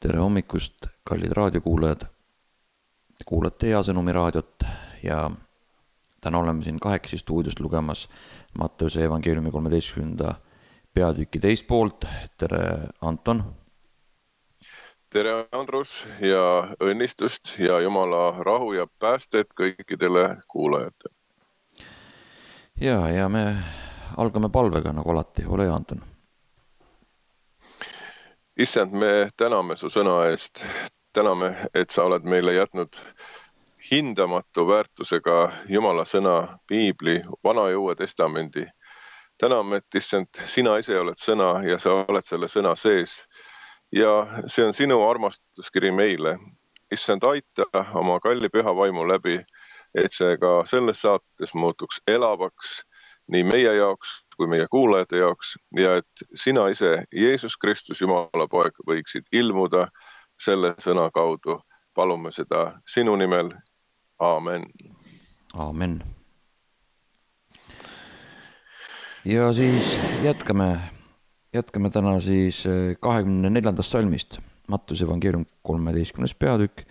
Tere hommikust, kallid raadiokuulajad. Kuulate Hea Sõnumi raadiot ja täna oleme siin kahekesi stuudiost lugemas Matteuse evangeeliumi 13. peatüki teist poolt. Tere, Anton. Tere, Andrus, ja õnnistust ja Jumala rahu ja päästet kõikidele kuulajatele. Ja me algame palvega nagu alati. Ole hea, Anton. Issand, me täname su sõna eest. Täname, et sa oled meile jätnud hindamatu väärtusega Jumala sõna, Piibli, Vana ja Uue Testamendi. Täname, et issand, sina ise oled sõna ja sa oled selle sõna sees. Ja see on sinu armastuskiri meile. Issand, aita oma kalli püha vaimu läbi, et see ka selles saates muutuks elavaks nii meie jaoks kui meie kuulajate jaoks ja et sina ise, Jeesus Kristus, Jumala poeg, võiksid ilmuda selle sõna kaudu. Palume seda sinu nimel. Aamen. Aamen. Ja siis jätkame täna siis 24. salmist. Mattuse evangeelium 13. peatükk,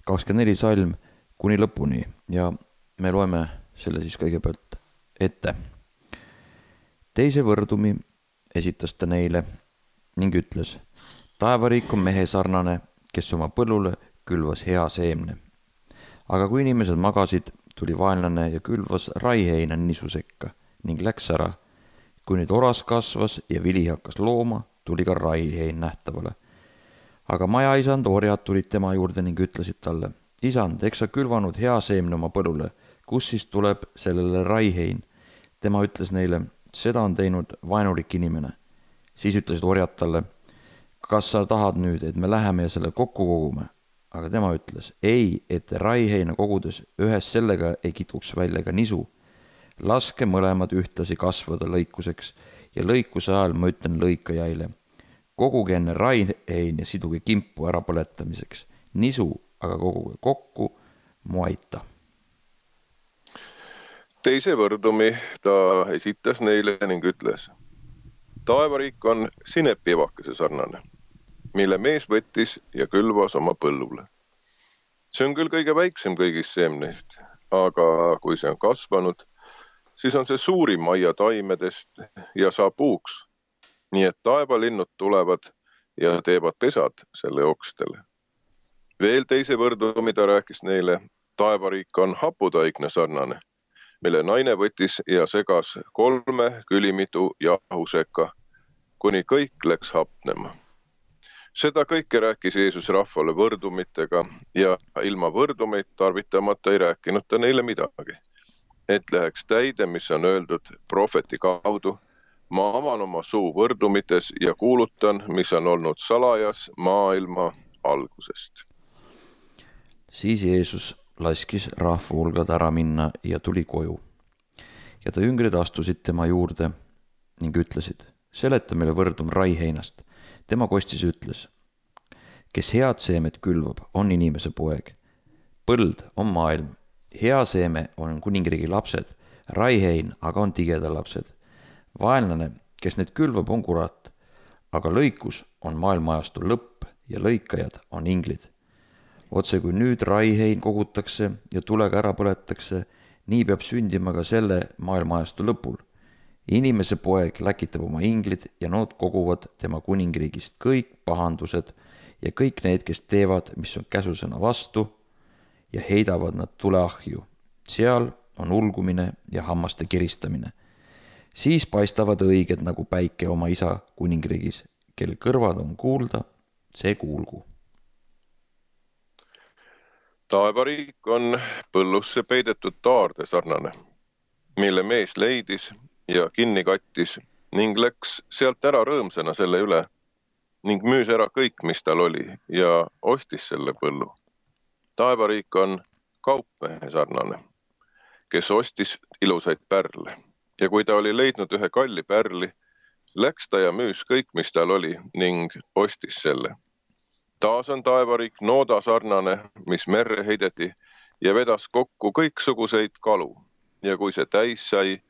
24 salm kuni lõpuni ja me loeme selle siis kõigepealt ette. Teise võrdumi esitas ta neile ning ütles: taevariik on mehe sarnane, kes oma põllule külvas hea seemne. Aga kui inimesed magasid, tuli vaenlane ja külvas raiheina nisu sekka ning läks ära. Kui nüüd oras kasvas ja vili hakkas looma, tuli ka raihein nähtavale. Aga majaisand orjad tulid tema juurde ning ütlesid talle: isand, eks sa külvanud hea seemne oma põllule, kus siis tuleb sellele raihein? Tema ütles neile: seda on teinud vaenulik inimene. Siis ütlesid orjad talle: kas sa tahad nüüd, et me läheme ja selle kokku kogume? Aga tema ütles: ei, et raiheina kogudes ühes sellega ei kitkuks välja ka nisu. Laske mõlemad ühtlasi kasvada lõikuseks ja lõikuse ajal ma ütlen lõikajaile: koguge enne raihein ja siduge kimpu ära põletamiseks. Nisu aga koguge kokku mu aita. Teise võrdumi ta esitas neile ning ütles: taevariik on sinepievakese sarnane, mille mees võttis ja külvas oma põllule. See on küll kõige väiksem kõigist seemneist, aga kui see on kasvanud, siis on see suurim aia taimedest ja saab puuks, nii et taevalinnud tulevad ja teevad pesad selle okstele. Veel teise võrdumi ta rääkis neile: taevariik on haputaigne sarnane, mille naine võttis ja segas 3 külimitu jahu sekka, kuni kõik läks hapnema. Seda kõike rääkis Jeesus rahvale võrdumitega ja ilma võrdumeid tarvitamata ei rääkinud ta neile midagi. Et läheks täide, mis on öeldud prohveti kaudu: ma avan oma suu võrdumites ja kuulutan, mis on olnud salajas maailma algusest. Siis Jeesus laskis rahva hulgad ära minna ja tuli koju. Ja ta jüngrid astusid tema juurde ning ütlesid: seleta meile võrdum raiheinast. Tema kostis ütles: kes head seemet külvab, on inimese poeg. Põld on maailm. Hea seeme on kuningriigi lapsed, raihein aga on tigeda lapsed. Vaenlane, kes need külvab, on kurat, aga lõikus on maailmaajastu lõpp ja lõikajad on inglid. Otse kui nüüd raihein kogutakse ja tulega ära põletakse, nii peab sündima ka selle maailmaajastu lõpul. Inimese poeg läkitab oma inglid ja nood koguvad tema kuningriigist kõik pahandused ja kõik need, kes teevad, mis on käsusõna vastu, ja heidavad nad tuleahju. Seal on ulgumine ja hammaste kiristamine. Siis paistavad õiged nagu päike oma isa kuningriigis. Kel kõrvad on kuulda, see kuulgu. Taevariik on põllusse peidetud taarde sarnane, mille mees leidis ja kinni kattis ning läks sealt ära rõõmsana selle üle ning müüs ära kõik, mis tal oli, ja ostis selle põllu. Taevariik on kaupmehe sarnane, kes ostis ilusaid pärle, ja kui ta oli leidnud ühe kalli pärli, läks ta ja müüs kõik, mis tal oli, ning ostis selle. Taas on taevariik nooda sarnane, mis merre heideti ja vedas kokku kõiksuguseid kalu, ja kui see täis sai,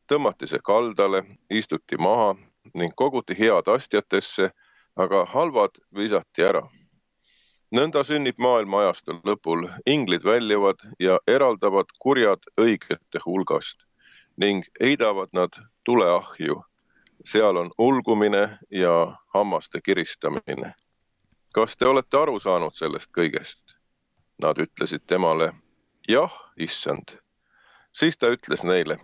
tõmmati see kaldale, istuti maha ning koguti head astjatesse, aga halvad visati ära. Nõnda sünnib maailma ajastul lõpul, inglid väljuvad ja eraldavad kurjad õigete hulgast ning heidavad nad tuleahju. Seal on ulgumine ja hammaste kiristamine. Kas te olete aru saanud sellest kõigest? Nad ütlesid temale, jah, issand. Siis ta ütles neile,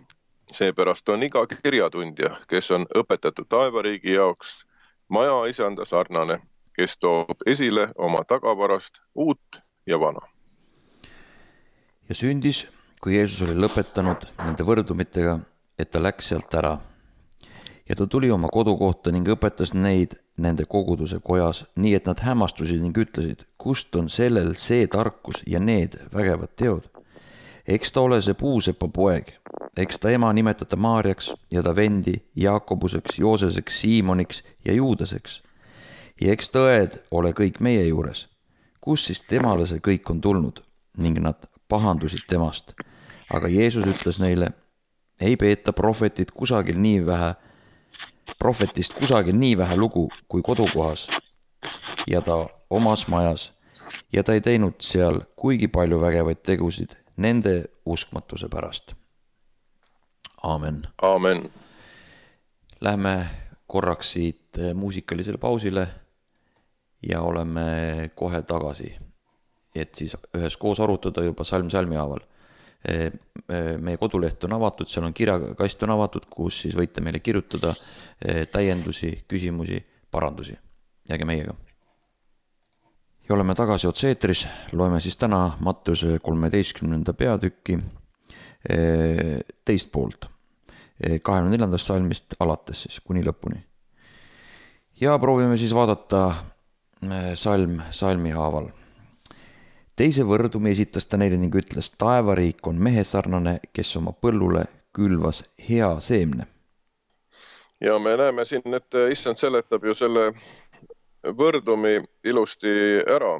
seepärast on iga kirjatundja, kes on õpetatud taevariigi jaoks, maja isanda sarnane, kes toob esile oma tagavarast uut ja vana. Ja sündis, kui Jeesus oli lõpetanud nende võrdumitega, et ta läks sealt ära. Ja ta tuli oma kodukohta ning õpetas neid nende koguduse kojas, nii et nad hämmastusid ning ütlesid, kust on sellel see tarkus ja need vägevad teod. Eks ta ole see puusepa poeg, eks ta ema nimetada Maarjaks ja ta vendi Jaakobuseks, Jooseseks, Siimoniks ja Juudaseks. Ja eks tõed ole kõik meie juures. Kus siis temale see kõik on tulnud? Ning nad pahandusid temast. Aga Jeesus ütles neile, ei peeta prohvetist kusagil nii vähe lugu kui kodukohas ja ta omas majas ja ta ei teinud seal kuigi palju vägevaid tegusid nende uskmatuse pärast. Aamen. Aamen. Lähme korraks siit muusikalisele pausile ja oleme kohe tagasi, et siis üheskoos arutada juba salm salmi haaval. Meie koduleht on avatud, seal on kirjakast on avatud, kus siis võite meile kirjutada täiendusi, küsimusi, parandusi. Jääge meiega. Ja oleme tagasi otse-eetris, loeme siis täna Matteuse 13. peatükki teist poolt, 24. salmist alates siis kuni lõpuni. Ja proovime siis vaadata salmi haaval. Teise võrdumi esitas ta neile ning ütles, taevariik on mehe sarnane, kes oma põllule külvas hea seemne. Ja me näeme siin, et issand seletab ju selle võrdumi ilusti ära,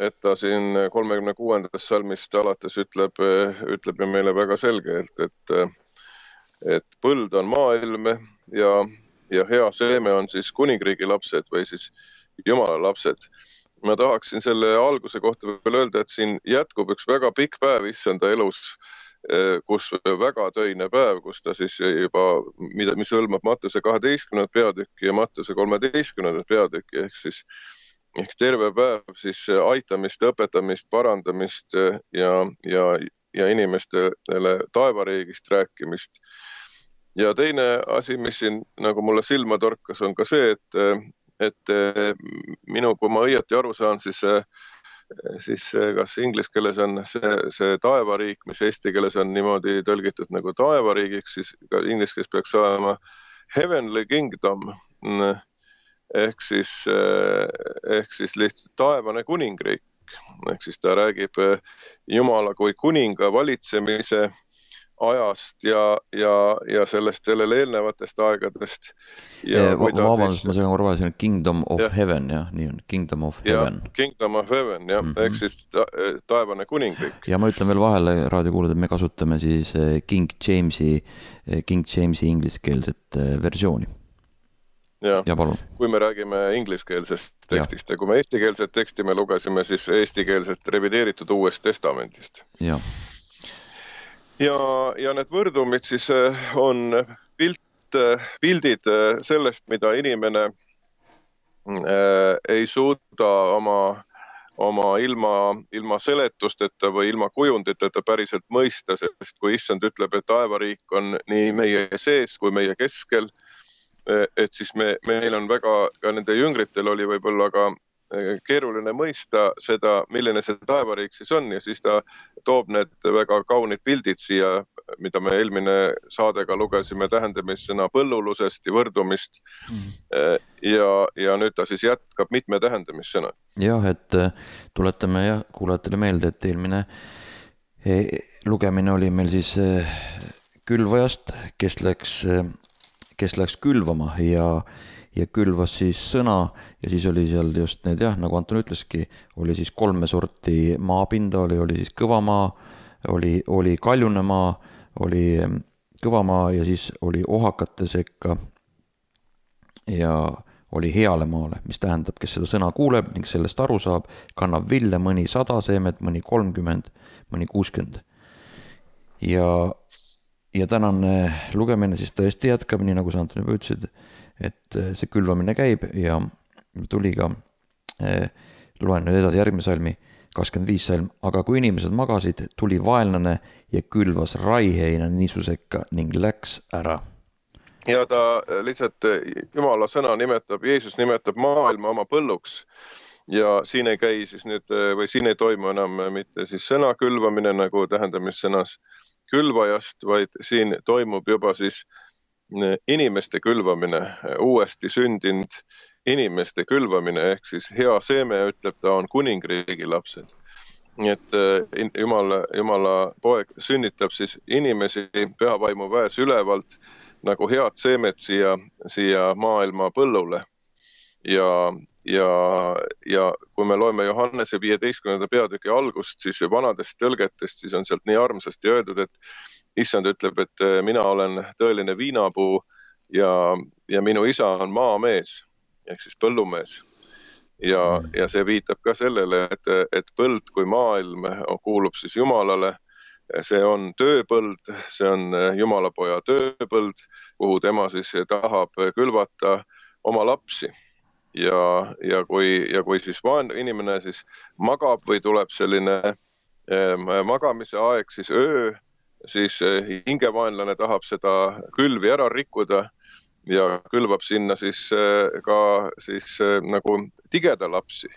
et ta siin 36. salmist alates ütleb ju meile väga selgelt, et põld on maailm ja hea seeme on siis kuningriigi lapsed või siis Jumala lapsed. Ma tahaksin selle alguse kohta veel öelda, et siin jätkub üks väga pikk päev issanda elus, kus väga töine päev, kus ta siis juba, mis hõlmab Mattuse 12. peatükki ja Mattuse 13. peatükki, ehk terve päev siis aitamist, õpetamist, parandamist ja inimestele taevariigist rääkimist. Ja teine asi, mis siin nagu mulle silma torkas, on ka see, et kui ma õieti aru saan, siis kas inglise keeles on see taevariik, mis eesti keeles on niimoodi tõlgitud nagu taevariigiks, siis ka inglise keeles peaks olema heavenly kingdom, ehk siis lihtsalt taevane kuningriik. Ehk siis ta räägib Jumala kui kuninga valitsemise ajast ja sellele eelnevatest aegadest. Vabandust, ma segan korra siin Kingdom of Heaven, jah, nii on, Kingdom of Heaven. Kingdom of Heaven, jah, ehk siis taevane kuningriik. Ja ma ütlen veel vahele raadiokuulajad, et me kasutame siis King Jamesi ingliskeelset versiooni. Ja palun. Kui me räägime ingliskeelsest tekstist ja kui me eestikeelset teksti me lugesime, siis eestikeelset revideeritud Uuest Testamendist. Jah. Ja need võrdumid siis on pildid sellest, mida inimene ei suuda oma ilma seletusteta või ilma kujunditeta päriselt mõista, sest kui issand ütleb, et taevariik on nii meie sees kui meie keskel, et siis meil on ka nende jüngritel oli võib-olla ka keeruline mõista seda, milline see taevariik siis on ja siis ta toob need väga kaunid pildid siia, mida me eelmine saadega lugesime tähendamissõna põllulusest ja võrdumist ja nüüd ta siis jätkab mitme tähendamissõna. Jah, et tuletame kuulajatele meelde, et eelmine lugemine oli meil siis külvajast, kes läks külvama ja külvas siis sõna ja siis oli seal just need, nagu Anton ütleski, oli siis 3 sorti maapinda, oli siis kõva maa, oli kaljune maa, oli kõva maa ja siis oli ohakate sekka ja oli heale maale, mis tähendab, kes seda sõna kuuleb ning sellest aru saab, kannab vilja mõni 100 seemet, mõni 30, mõni 60. Ja tänane lugemine siis tõesti jätkab, nii nagu sa Anton juba ütlesid, et see külvamine käib ja tuli ka, loen nüüd edasi järgmise salmi, 25 salm, aga kui inimesed magasid, tuli vaenlane ja külvas raiheina niisu sekka ning läks ära. Ja ta lihtsalt Jumala sõna nimetab, Jeesus nimetab maailma oma põlluks ja siin ei käi siis nüüd, või siin ei toimu enam mitte siis sõna külvamine nagu tähendamissõnas külvajast, vaid siin toimub juba siis inimeste külvamine, uuesti sündinud inimeste külvamine, ehk siis hea seeme, ütleb ta, on kuningriigi lapsed. Nii et Jumala poeg sünnitab siis inimesi pühavaimu väes ülevalt nagu head seemet siia maailma põllule. Ja kui me loeme Johannese 15. peatüki algust, siis vanadest tõlgetest, siis on sealt nii armsasti öeldud, et Issand ütleb, et mina olen tõeline viinapuu ja minu isa on maamees, ehk siis põllumees. Ja see viitab ka sellele, et põld kui maailm kuulub siis Jumalale. See on tööpõld, see on Jumalapoja tööpõld, kuhu tema siis tahab külvata oma lapsi. Ja kui siis inimene siis magab või tuleb selline magamise aeg, siis öö, siis hingevaenlane tahab seda külvi ära rikkuda ja külvab sinna siis ka siis nagu tigeda lapsi.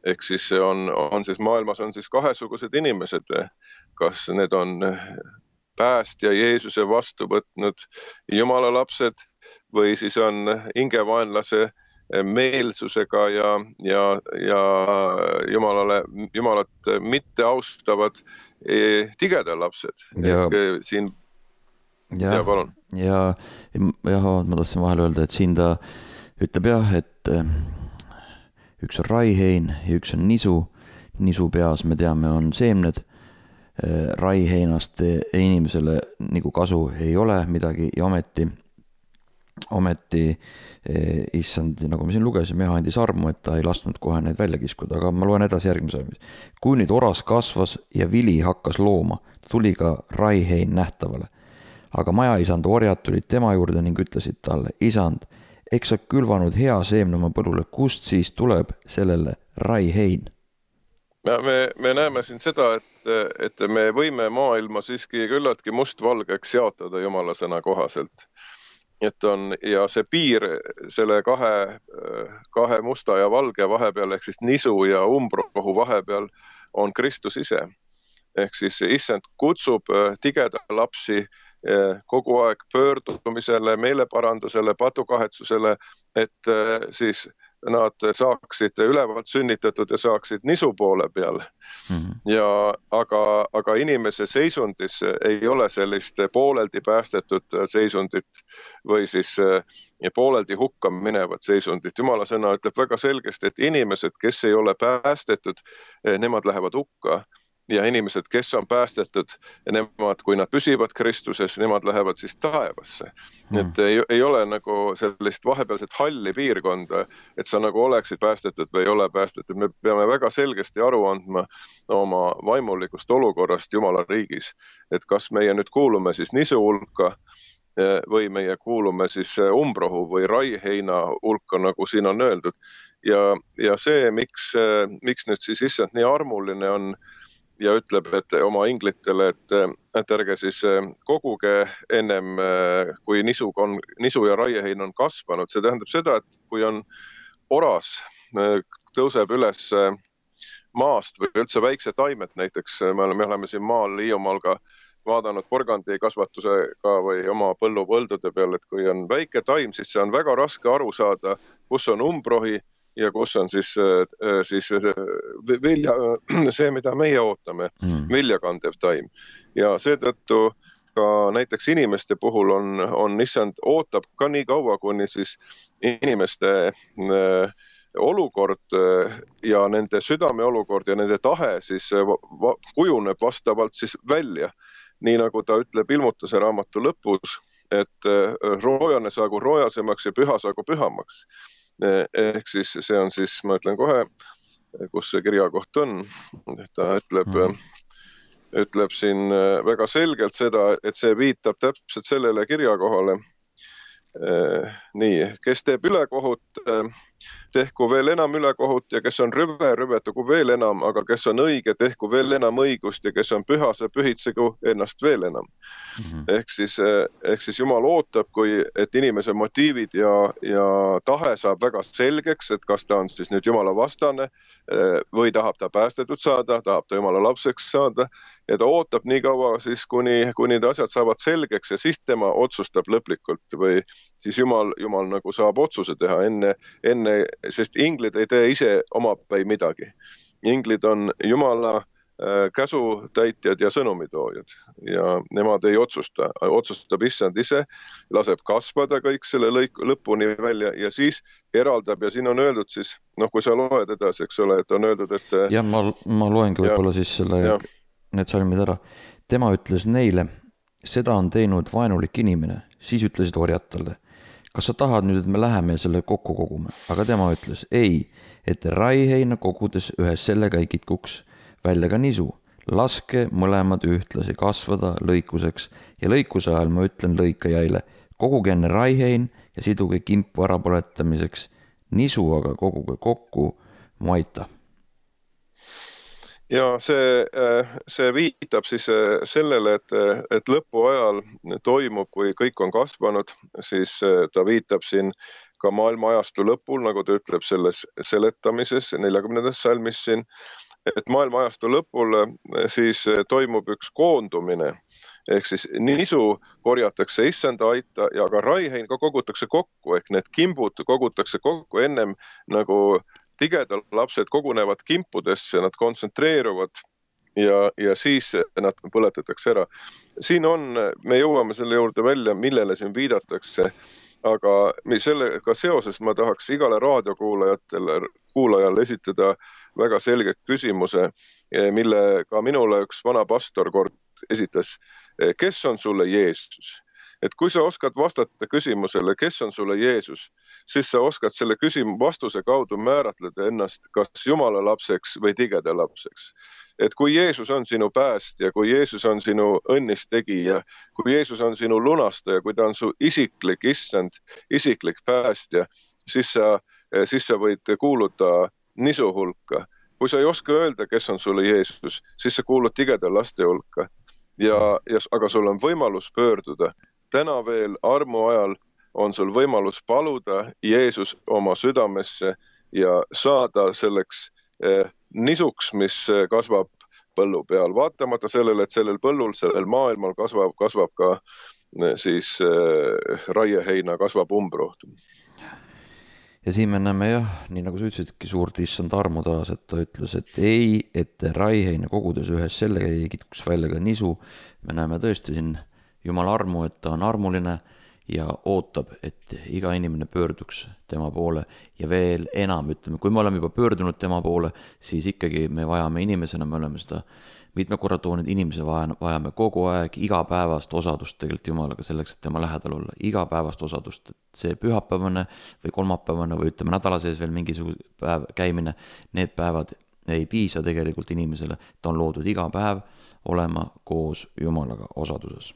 Ehk siis on siis maailmas on siis kahesugused inimesed, kas need on päästja Jeesuse vastu võtnud Jumala lapsed või siis on hingevaenlase meelsusega ja Jumalat mitte austavad tigeda lapsed. Siin, palun. Ja ma tahtsin vahel öelda, et siin ta ütleb jah, et üks on raihein ja üks on nisu. Nisu peas me teame on seemned. Raiheinast inimesele nagu kasu ei ole midagi ja ometi issand, nagu me siin lugesime, andis armu, et ta ei lasknud kohe neid välja kiskuda, aga ma loen edasi järgmise. Kui nüüd oras kasvas ja vili hakkas looma, tuli ka raihein nähtavale. Aga majaisand orjad tulid tema juurde ning ütlesid talle, isand, eks sa külvanud hea seemne oma põllule, kust siis tuleb sellele raihein? Me näeme siin seda, et me võime maailma siiski küllaltki mustvalgeks jaotada Jumala sõna kohaselt. Ja see piir selle kahe musta ja valge vahepeal, ehk siis nisu ja umbrohu vahepeal on Kristus ise. Ehk siis issand kutsub tigeda lapsi kogu aeg pöördumisele, meeleparandusele, patukahetsusele, et siis nad saaksid ülevalt sünnitatud ja saaksid nisu poole peal. Aga inimese seisundis ei ole sellist pooleldi päästetud seisundit või siis pooleldi hukka minevat seisundit. Jumala sõna ütleb väga selgesti, et inimesed, kes ei ole päästetud, nemad lähevad hukka. Ja inimesed, kes on päästetud, nemad, kui nad püsivad Kristuses, nemad lähevad siis taevasse. Et ei ole nagu sellist vahepealset halli piirkonda, et sa nagu oleksid päästetud või ei ole päästetud. Me peame väga selgesti aru andma oma vaimulikust olukorrast Jumala riigis. Et kas meie nüüd kuulume siis nisu hulka või meie kuulume siis umbrohu või raiheina hulka, nagu siin on öeldud. Ja see, miks nüüd siis issand nii armuline on, ja ütleb, et oma inglitele, et ärge siis koguge ennem, kui nisu ja raiehein on kasvanud. See tähendab seda, et kui on oras, tõuseb üles maast või üldse väikse taimet, näiteks me oleme siin maal Hiiumaal ka vaadanud porgandi kasvatusega või oma põllupõldude peal, et kui on väike taim, siis see on väga raske aru saada, kus on umbrohi ja kus on siis vilja, see, mida meie ootame, viljakandev taim. Ja seetõttu ka näiteks inimeste puhul on issand ootab ka nii kaua, kuni siis inimeste olukord ja nende südame olukord ja nende tahe siis kujuneb vastavalt siis välja. Nii nagu ta ütleb ilmutuse raamatu lõpus, et roojane saagu roojasemaks ja püha saagu pühamaks. Ehk siis see on siis, ma ütlen kohe, kus see kirjakoht on. Ta ütleb siin väga selgelt seda, et see viitab täpselt sellele kirjakohale. Nii, kes teeb ülekohut, tehku veel enam ülekohut ja kes on rüve, rüvetagu veel enam, aga kes on õige, tehku veel enam õigust ja kes on püha, see pühitsegu ennast veel enam. Ehk siis Jumal ootab, et inimese motiivid ja tahe saab väga selgeks, et kas ta on siis nüüd Jumala vastane või tahab ta päästetud saada, tahab ta Jumala lapseks saada ja ta ootab nii kaua siis, kuni need asjad saavad selgeks ja siis tema otsustab lõplikult või siis Jumal nagu saab otsuse teha enne, sest inglid ei tee ise omapäi midagi. Inglid on Jumala käsutäitjad ja sõnumitoojad ja nemad ei otsustab issand ise, laseb kasvada kõik selle lõpuni välja ja siis eraldab ja siin on öeldud siis, kui sa loed edasi, eks ole, et on öeldud, et... Ja ma loengi võib-olla siis need salmid ära. Tema ütles neile, seda on teinud vaenulik inimene, siis ütlesid orjad talle. Kas sa tahad nüüd, et me läheme selle kokku kogume? Aga tema ütles, ei, et raiheina kogudes ühes sellega ei kitkuks välja ka nisu. Laske mõlemad ühtlasi kasvada lõikuseks ja lõikuse ajal ma ütlen lõikajaile, koguge enne raihein ja siduge kimpu ärapõletamiseks, nisu aga koguge kokku maita. Ja see viitab siis sellele, et lõpu ajal toimub, kui kõik on kasvanud, siis ta viitab siin ka maailma ajastu lõpul, nagu ta ütleb selles seletamises 40. salmis siin, et maailma ajastu lõpul siis toimub üks koondumine, ehk siis nisu korjatakse issanda aita ja ka raihein ka kogutakse kokku, ehk need kimbud kogutakse kokku ennem nagu tigedal lapsed kogunevad kimpudesse, nad kontsentreeruvad ja siis nad põletatakse ära. Siin me jõuame selle juurde välja, millele siin viidatakse, aga sellega seoses ma tahaks igale raadiokuulajale esitada väga selge küsimuse, mille ka minule üks vana pastor kord esitas. Kes on sulle Jeesus? Et kui sa oskad vastata küsimusele, kes on sulle Jeesus, siis sa oskad selle vastuse kaudu määratleda ennast kas Jumala lapseks või tigeda lapseks. Et kui Jeesus on sinu päästja, kui Jeesus on sinu õnnistegija, kui Jeesus on sinu lunastaja, kui ta on su isiklik issand, isiklik päästja, siis sa võid kuuluda nisu hulka. Kui sa ei oska öelda, kes on sulle Jeesus, siis sa kuulud tigeda laste hulka. Aga sul on võimalus pöörduda. Täna veel armu ajal on sul võimalus paluda Jeesus oma südamesse ja saada selleks nisuks, mis kasvab põllu peal. Vaatamata sellele, et sellel põllul, sellel maailmal kasvab ka siis raieheina, kasvab umbroht. Ja siin me näeme nii nagu sa ütlesidki suurt issand armu taas, et ta ütles, et ei, et raiheina kogudes ühes sellega ei kitkuks välja ka nisu. Me näeme tõesti siin Jumala armu, et ta on armuline ja ootab, et iga inimene pöörduks tema poole ja veel enam, ütleme, kui me oleme juba pöördunud tema poole, siis ikkagi me vajame inimesena, me oleme seda mitme korra toonud, inimese vajame kogu aeg igapäevast osadust tegelikult Jumalaga selleks, et tema lähedal olla, igapäevast osadust, et see pühapäevane või kolmapäevane või ütleme nädala sees veel mingisugune päev käimine, need päevad ei piisa tegelikult inimesele, ta on loodud iga päev olema koos Jumalaga osaduses.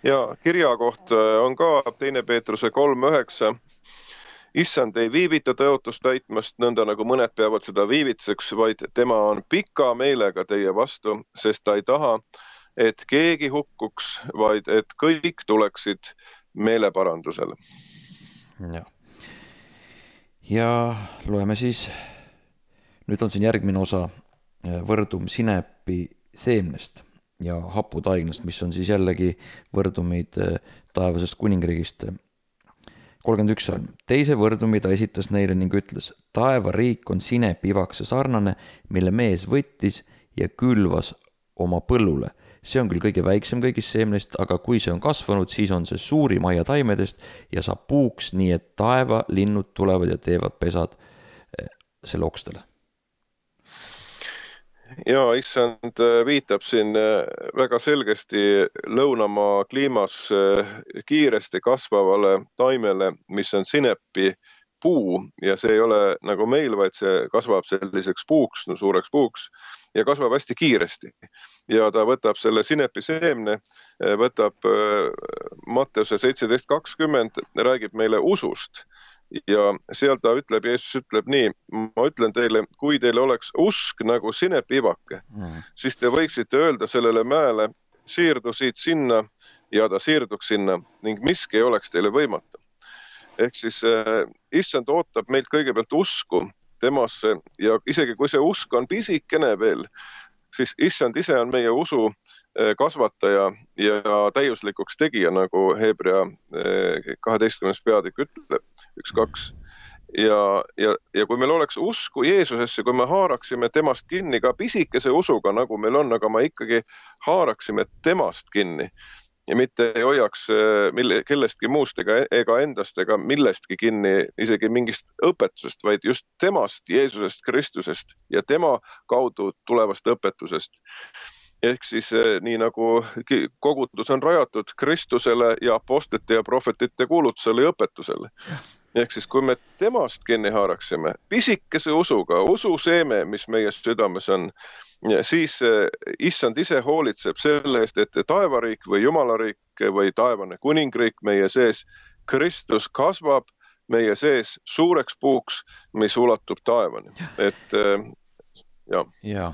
Ja kirjakoht on ka 2. Peetruse 3:9. Issand ei viivita tõotust täitmast, nõnda nagu mõned peavad seda viivitseks, vaid tema on pika meelega teie vastu, sest ta ei taha, et keegi hukkuks, vaid et kõik tuleksid meeleparandusele. Ja loeme siis, nüüd on siin järgmine osa võrdum sinepi seemnest ja haputaignast, mis on siis jällegi võrdumid taevasest kuningriigist. 31 salm. Teise võrdumi ta esitas neile ning ütles, taevariik on sinepivakse sarnane, mille mees võttis ja külvas oma põllule. See on küll kõige väiksem kõigist seemnest, aga kui see on kasvanud, siis on see suurim aia taimedest ja saab puuks, nii et taeva linnud tulevad ja teevad pesad selle okstele. Ja issand viitab siin väga selgesti lõunamaa kliimas kiiresti kasvavale taimele, mis on sinepi puu ja see ei ole nagu meil, vaid see kasvab selliseks puuks, suureks puuks ja kasvab hästi kiiresti. Ja ta võtab selle sinepi seemne, võtab Matteuse 17:20, räägib meile usust. Ja seal ta ütleb, Jeesus ütleb nii, ma ütlen teile, kui teil oleks usk nagu sinepiivake, siis te võiksite öelda sellele mäele, siirdu siit sinna ja ta siirduks sinna ning miski ei oleks teile võimatu. Ehk siis issand ootab meilt kõigepealt usku temasse ja isegi kui see usk on pisikene veel, siis issand ise on meie usu kasvataja ja täiuslikuks tegija, nagu Hebrea 12. peatükk ütleb, 1-2. Ja kui meil oleks usku Jeesusesse, kui me haaraksime temast kinni ka pisikese usuga, nagu meil on, aga me ikkagi haaraksime temast kinni ja mitte ei hoiaks kellestki muust ega endast ega millestki kinni, isegi mingist õpetusest, vaid just temast, Jeesusest, Kristusest ja tema kaudu tulevast õpetusest. Ehk siis nii nagu kogudus on rajatud Kristusele ja apostlite ja prohvetite kuulutusele ja õpetusele. Ehk siis kui me temast kinni haaraksime, pisikese usuga, ususeeme, mis meie südames on, siis issand ise hoolitseb selle eest, et taevariik või jumalariik või taevane kuningriik meie sees, Kristus kasvab meie sees suureks puuks, mis ulatub taevani. Et ja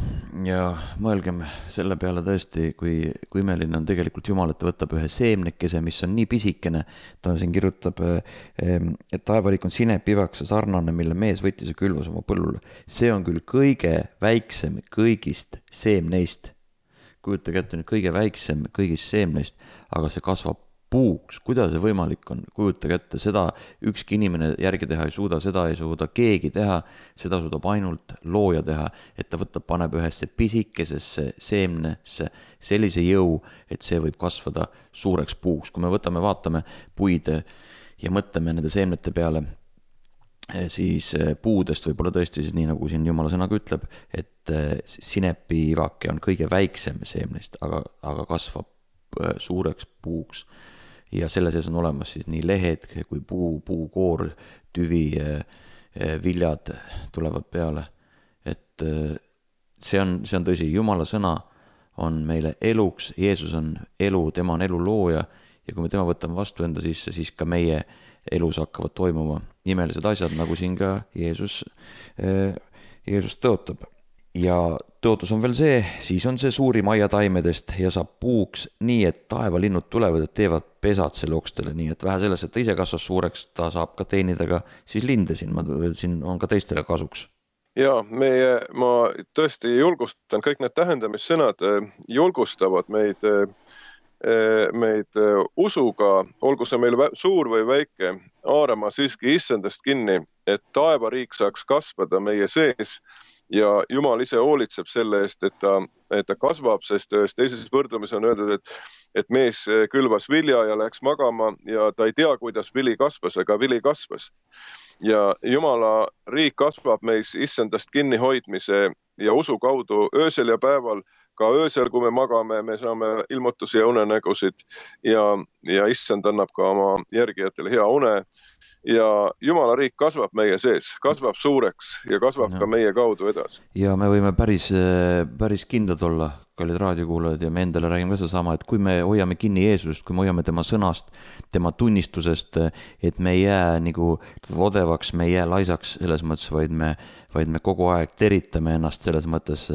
mõelgem selle peale tõesti, kui imeline on tegelikult Jumal, et ta võtab ühe seemnekese, mis on nii pisikene, ta siin kirjutab, et taevariik on sinepivakese sarnane, mille mees võttis ja külvas oma põllule. See on küll kõige väiksem kõigist seemneist. Kujutage ette nüüd kõige väiksem kõigist seemneist, aga see kasvab puuks. Kuidas see võimalik on? Kujutage ette, seda ükski inimene järgi teha ei suuda, seda ei suuda keegi teha, seda suudab ainult looja teha, et ta paneb ühesse pisikesesse seemnesse sellise jõu, et see võib kasvada suureks puuks. Kui me vaatame puid ja mõtleme nende seemnete peale, siis puudest võib-olla tõesti siis nii, nagu siin Jumala sõnaga ütleb, et sinepiivake on kõige väiksem seemnest, aga kasvab suureks puuks. Ja selle sees on olemas siis nii lehed kui puukoor, tüvi, viljad tulevad peale. Et see on tõsi, Jumala sõna on meile eluks, Jeesus on elu, tema on elu looja ja kui me tema võtame vastu enda sisse, siis ka meie elus hakkavad toimuma imelised asjad, nagu siin ka Jeesus tõotab. Ja tõotus on veel see, siis on see suurim aiataimedest ja saab puuks nii, et taevalinnud tulevad ja teevad pesad selle okstele, nii et vähe sellest, et ta ise kasvas suureks, ta saab ka teenida ka siis linde siin on ka teistele kasuks. Ja ma tõesti julgustan, kõik need tähendamissõnad julgustavad meid usuga, olgu see meil suur või väike, haarama siiski issandast kinni, et taevariik saaks kasvada meie sees ja Jumal ise hoolitseb selle eest, et ta kasvab, sest teises võrdlumis on öeldud, et mees külvas vilja ja läks magama ja ta ei tea, kuidas vili kasvas, aga vili kasvas. Ja Jumala riik kasvab meis issandast kinnihoidmise ja usu kaudu öösel ja päeval, ka öösel, kui me magame, me saame ilmutusi ja unenägusid ja issand annab ka oma järgijatele hea une. Ja Jumala riik kasvab meie sees, kasvab suureks ja kasvab ka meie kaudu edasi. Ja me võime päris kindlad olla, kallid raadiokuulajad, ja me endale räägime ka sedasama, et kui me hoiame kinni Jeesusest, kui me hoiame tema sõnast, tema tunnistusest, et me ei jää nagu odevaks, me ei jää laisaks selles mõttes, vaid me kogu aeg teritame ennast selles mõttes.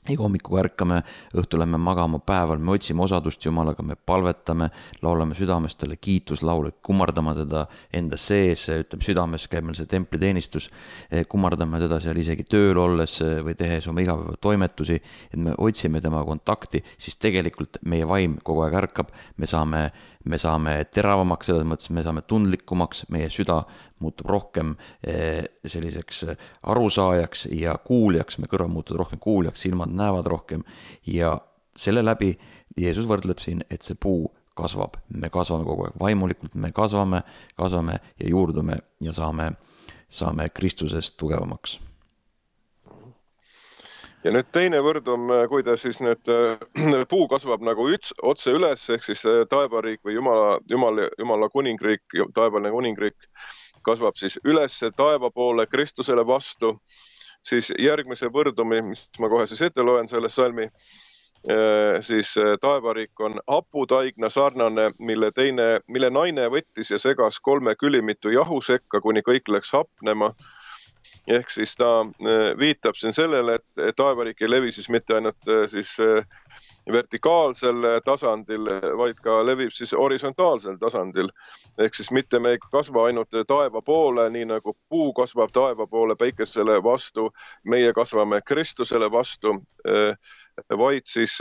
Iga hommiku ärkame, õhtu lähme magama, päeval me otsime osadust Jumalaga, me palvetame, laulame südames talle kiituslaule, kummardame teda enda sees, ütleme südames käib meil see templiteenistus, kummardame teda seal isegi tööl olles või tehes oma igapäeva toimetusi, et me otsime tema kontakti, siis tegelikult meie vaim kogu aeg ärkab, me saame teravamaks, selles mõttes me saame tundlikumaks, meie süda muutub rohkem selliseks arusaajaks ja kuuljaks, me kõrvad muutuvad rohkem kuuljaks, silmad näevad rohkem ja selle läbi Jeesus võrdleb siin, et see puu kasvab, me kasvame kogu aeg vaimulikult, me kasvame ja juurdume ja saame Kristusest tugevamaks. Ja nüüd teine võrdum, kuidas siis nüüd puu kasvab nagu otse üles, ehk siis taevariik või Jumala kuningriik, taevaline kuningriik kasvab siis üles taeva poole Kristusele vastu, siis järgmise võrdumi, mis ma kohe siis ette loen selle salmi, siis taevariik on haputaigna sarnane, mille naine võttis ja segas 3 külimitu jahu sekka, kuni kõik läks hapnema. Ehk siis ta viitab siin sellele, et taevariik ei levi siis mitte ainult siis vertikaalsel tasandil, vaid ka levib siis horisontaalsel tasandil. Ehk siis mitte me ei kasva ainult taeva poole, nii nagu puu kasvab taeva poole päikesele vastu, meie kasvame Kristusele vastu, vaid siis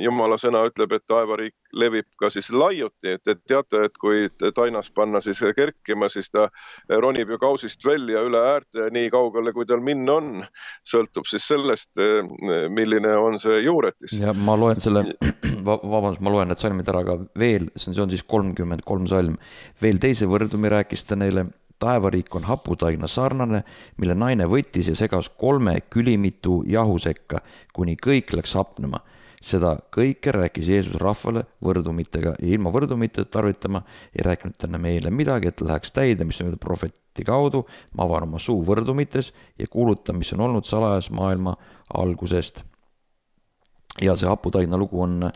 Jumala sõna ütleb, et taevariik levib ka siis laiuti, et teate, et kui tainas panna siis kerkima, siis ta ronib ju kausist välja üle äärte nii kaugele, kui tal minna on. Sõltub siis sellest, milline on see juuretis. Ja ma loen selle, vabandust, ma loen need salmid ära ka veel, see on siis 33 salm. Veel teise võrdumi rääkis ta neile, taevariik on haputaigna sarnane, mille naine võttis ja segas 3 külimitu jahu sekka, kuni kõik läks hapnema. Seda kõike rääkis Jeesus rahvale võrdumitega ja ilma võrdumite tarvitama ei rääkinud tänne meile midagi, et läheks täide, mis on prohveti kaudu. Ma avan oma suu võrdumites ja kuulutan, mis on olnud salajas maailma algusest. Ja see haputaigna lugu on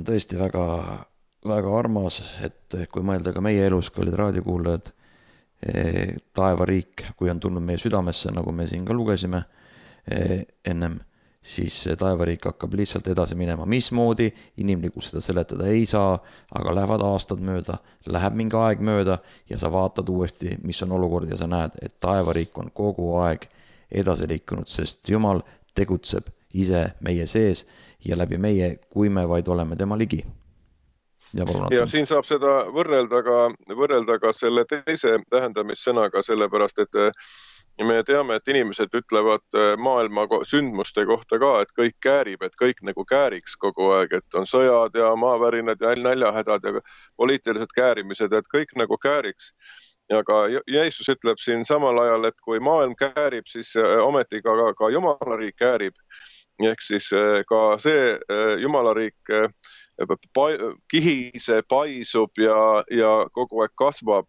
tõesti väga armas, et kui mõelda ka meie elus, kallid raadiokuulajad, taevariik, kui on tulnud meie südamesse, nagu me siin ka lugesime ennem, siis taevariik hakkab lihtsalt edasi minema. Mismoodi inimlikult seda seletada ei saa, aga lähevad aastad mööda, läheb mingi aeg mööda ja sa vaatad uuesti, mis on olukord ja sa näed, et taevariik on kogu aeg edasi liikunud, sest Jumal tegutseb ise meie sees ja läbi meie, kui me vaid oleme tema ligi. Ja siin saab seda võrrelda ka selle teise tähendamissõnaga, sellepärast, et me teame, et inimesed ütlevad maailma sündmuste kohta ka, et kõik käärib, et kõik nagu kääriks kogu aeg, et on sõjad ja maavärinad ja näljahädad ja poliitilised käärimised, et kõik nagu kääriks. Aga Jeesus ütleb siin samal ajal, et kui maailm käärib, siis ometi ka Jumalariik käärib. Ehk siis ka see Jumalariik kihise, paisub ja kogu aeg kasvab,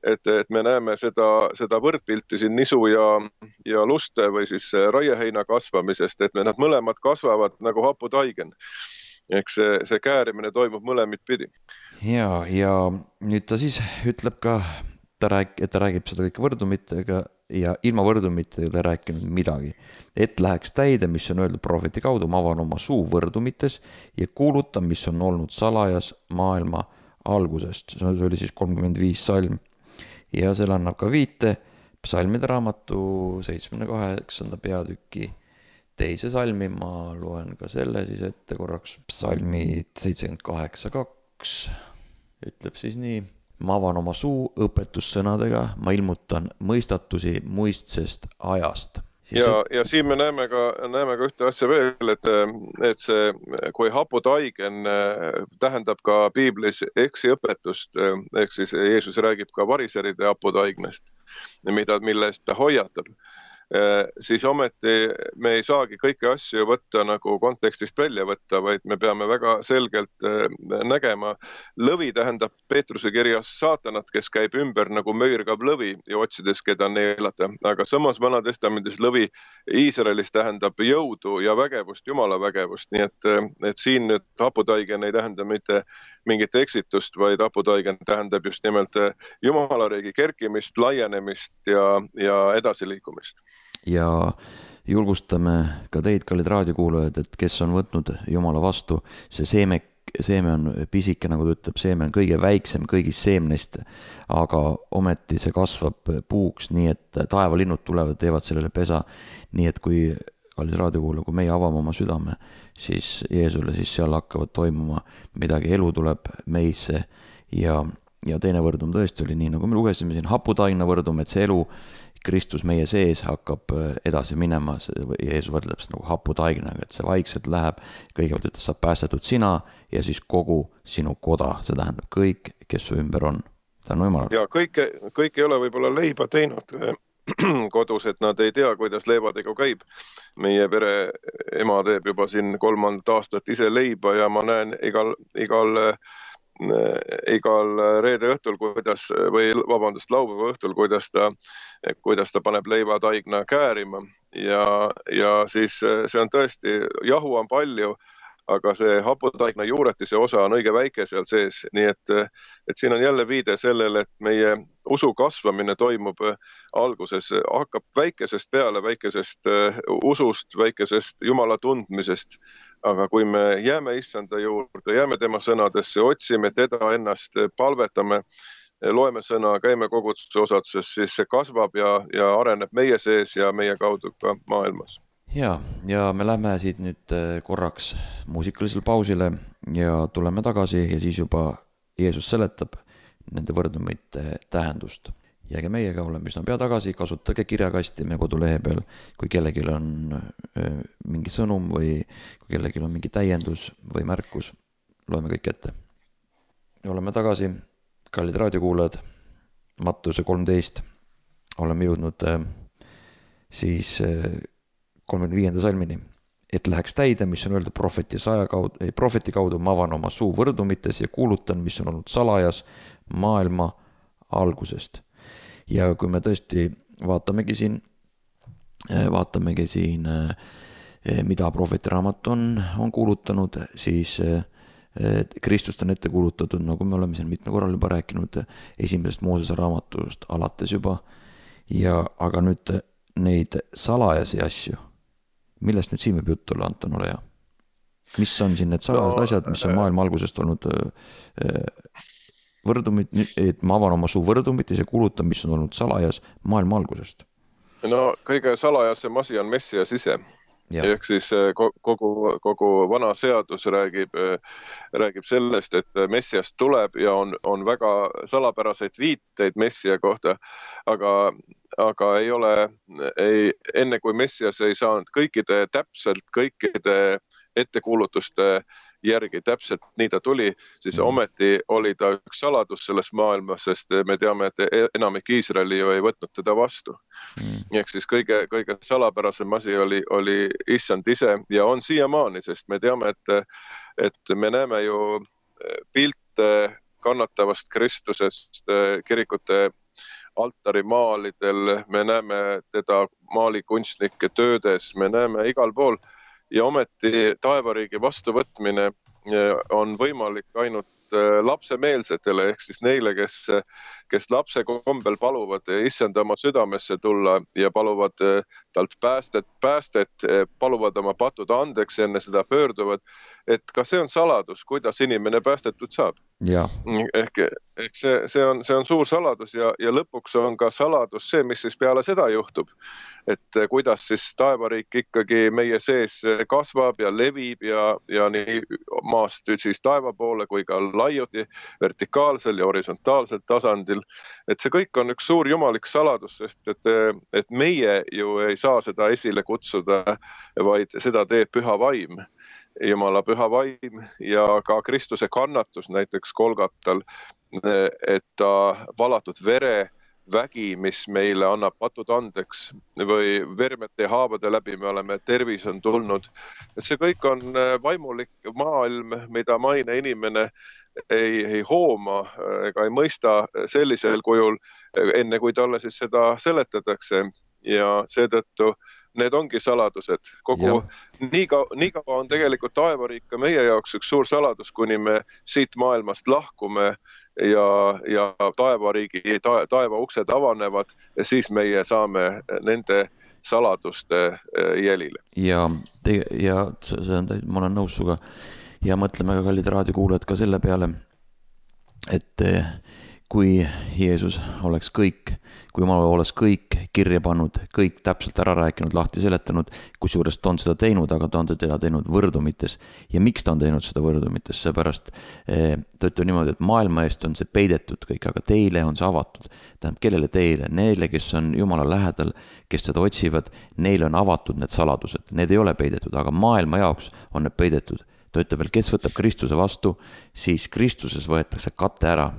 et me näeme seda võrdpilti siin nisu ja luste või siis raieheina kasvamisest, et nad mõlemad kasvavad nagu haputaigen. Ehk see käärimine toimub mõlemit pidi. Ja nüüd ta siis ütleb ka, et ta räägib seda kõik võrdumitega ja ilma võrdumitega ta rääkinud midagi. Et läheks täide, mis on öeldud prohveti kaudu, ma avan oma suu võrdumites ja kuulutan, mis on olnud salajas maailma algusest. See oli siis 35 salm. Ja seal annab ka viite psalmide raamatu 78. peatüki teise salmi. Ma loen ka selle siis ette korraks. Psalmid 78.2 ütleb siis nii. Ma avan oma suu õpetussõnadega, ma ilmutan mõistatusi muistsest ajast. Ja siin me näeme ka ühte asja veel, et see, kui haputaigen tähendab ka piiblis eksiõpetust, ehk siis Jeesus räägib ka variseride haputaignest, mille eest ta hoiatab, siis ometi me ei saagi kõiki asju võtta nagu kontekstist välja võtta, vaid me peame väga selgelt nägema. Lõvi tähendab Peetruse kirjas saatanat, kes käib ümber nagu möirgav lõvi ja otsides, keda neelata. Aga samas Vanatestamendis lõvi Iisraelis tähendab jõudu ja vägevust, Jumala vägevust. Nii et siin nüüd haputaigen ei tähenda mitte mingit eksitust, vaid haputaigen tähendab just nimelt Jumalariigi kerkimist, laienemist ja edasiliikumist. Ja julgustame ka teid, kallid raadiokuulajad, et kes on võtnud Jumala vastu, see seeme on pisike, nagu ta ütleb, seeme on kõige väiksem kõigist seemnest, aga ometi see kasvab puuks, nii et taevalinnud tulevad, teevad sellele pesa, nii et kui, kallis raadiokuulaja, kui meie avame oma südame, siis Jeesule, siis seal hakkavad toimuma midagi, elu tuleb meisse ja teine võrdum tõesti oli nii, nagu me lugesime siin, haputaigna võrdum, et see elu Kristus meie sees hakkab edasi minema, Jeesus võrdleb seda nagu haputaignaga, et see vaikselt läheb, kõigepealt ütles, saab päästetud sina ja siis kogu sinu koda, see tähendab kõik, kes su ümber on. Tänu Jumalale. Ja kõik ei ole võib-olla leiba teinud kodus, et nad ei tea, kuidas leivadega käib. Meie pere ema teeb juba siin 3. aastat ise leiba ja ma näen igal igal reede õhtul, laupäeva õhtul, kuidas ta paneb leivataigna käärima ja siis see on tõesti, jahu on palju, aga see haputaigna juuretise osa on õige väike seal sees, nii et siin on jälle viide sellele, et meie usu kasvamine toimub alguses, hakkab väikesest peale, väikesest usust, väikesest Jumala tundmisest, aga kui me jääme issanda juurde, jääme tema sõnadesse, otsime teda ennast, palvetame, loeme sõna, käime koguduse osaduses, siis see kasvab ja areneb meie sees ja meie kaudu ka maailmas. Ja me lähme siit nüüd korraks muusikalisele pausile ja tuleme tagasi ja siis juba Jeesus seletab nende võrdumite tähendust. Jääge meiega, oleme üsna pea tagasi, kasutage kirjakasti meie kodulehe peal, kui kellelgi on mingi sõnum või kui kellelgi on mingi täiendus või märkus, loeme kõik ette. Oleme tagasi, kallid raadiokuulajad, Mattuse 13, oleme jõudnud siis 35. salmini, et läheks täide, mis on öeldud prohveti kaudu, ma avan oma suu võrdumites ja kuulutan, mis on olnud salajas maailma algusest. Ja kui me tõesti vaatamegi siin, mida prohveti raamat on kuulutanud, siis Kristust on ette kuulutatud, nagu me oleme siin mitme korral juba rääkinud, esimesest Moosese raamatust alates juba, aga nüüd neid salajasi asju, millest nüüd siin võib juttu olla, Anton, ole hea? Mis on siin need salajased asjad, mis on maailma algusest olnud võrdumit, et ma avan oma suu võrdumites ja kuulutan, mis on olnud salajas maailma algusest? No kõige salajasem asi on Messias ise. Ehk siis kogu vana seadus räägib sellest, et Messias tuleb ja on väga salapäraseid viiteid Messia kohta, aga ei ole, enne kui Messias ei saanud kõikide ettekuulutuste järgi täpselt nii ta tuli, siis ometi oli ta üks saladus selles maailmas, sest me teame, et enamik Iisraeli ju ei võtnud teda vastu. Ehk siis kõige salapärasem asi oli issand ise ja on siiamaani, sest me teame, et me näeme ju pilte kannatavast Kristusest kirikute altarimaalidel, me näeme teda maalikunstnike töödes, me näeme igal pool ja ometi taevariigi vastuvõtmine on võimalik ainult lapsemeelsetele, ehk siis neile, kes lapse kombel paluvad issanda oma südamesse tulla ja paluvad talt päästet, paluvad oma patud andeks, enne seda pöörduvad, et ka see on saladus, kuidas inimene päästetud saab. Ehk see on suur saladus ja lõpuks on ka saladus see, mis siis peale seda juhtub, et kuidas siis taevariik ikkagi meie sees kasvab ja levib ja nii maast siis taeva poole kui ka laiuti vertikaalsel ja horisontaalsel tasandil. Et see kõik on üks suur jumalik saladus, sest et meie ju ei saa seda esile kutsuda, vaid seda teeb püha vaim. Jumala püha vaim ja ka Kristuse kannatus näiteks Golgatal, et ta valatud vere vägi, mis meile annab patud andeks või vermete ja haavade läbi me oleme, tervis on tulnud. Et see kõik on vaimulik maailm, mida maine inimene ei hooma ega ei mõista sellisel kujul, enne kui talle siis seda seletatakse. Ja seetõttu need ongi saladused. Nii kaua on tegelikult taevariik ka meie jaoks üks suur saladus, kuni me siit maailmast lahkume ja taeva uksed avanevad ja siis meie saame nende saladuste jälile. Ja ma olen nõus suga ja mõtleme ka kallid raadiokuulajad ka selle peale, et kui Jeesus oleks kõik, kui Jumal oleks kõik kirja pannud, kõik täpselt ära rääkinud, lahti seletanud, kusjuures ta on seda teinud, aga ta on teda teinud võrdumites. Ja miks ta on teinud seda võrdumites? Seepärast ta ütleb niimoodi, et maailma eest on see peidetud kõik, aga teile on see avatud. Tähendab, kellele teile? Neile, kes on Jumala lähedal, kes seda otsivad, neile on avatud need saladused. Need ei ole peidetud, aga maailma jaoks on need peidetud. Ta ütleb veel, kes võtab Kristuse vastu, siis Kristuses võetakse kate ära.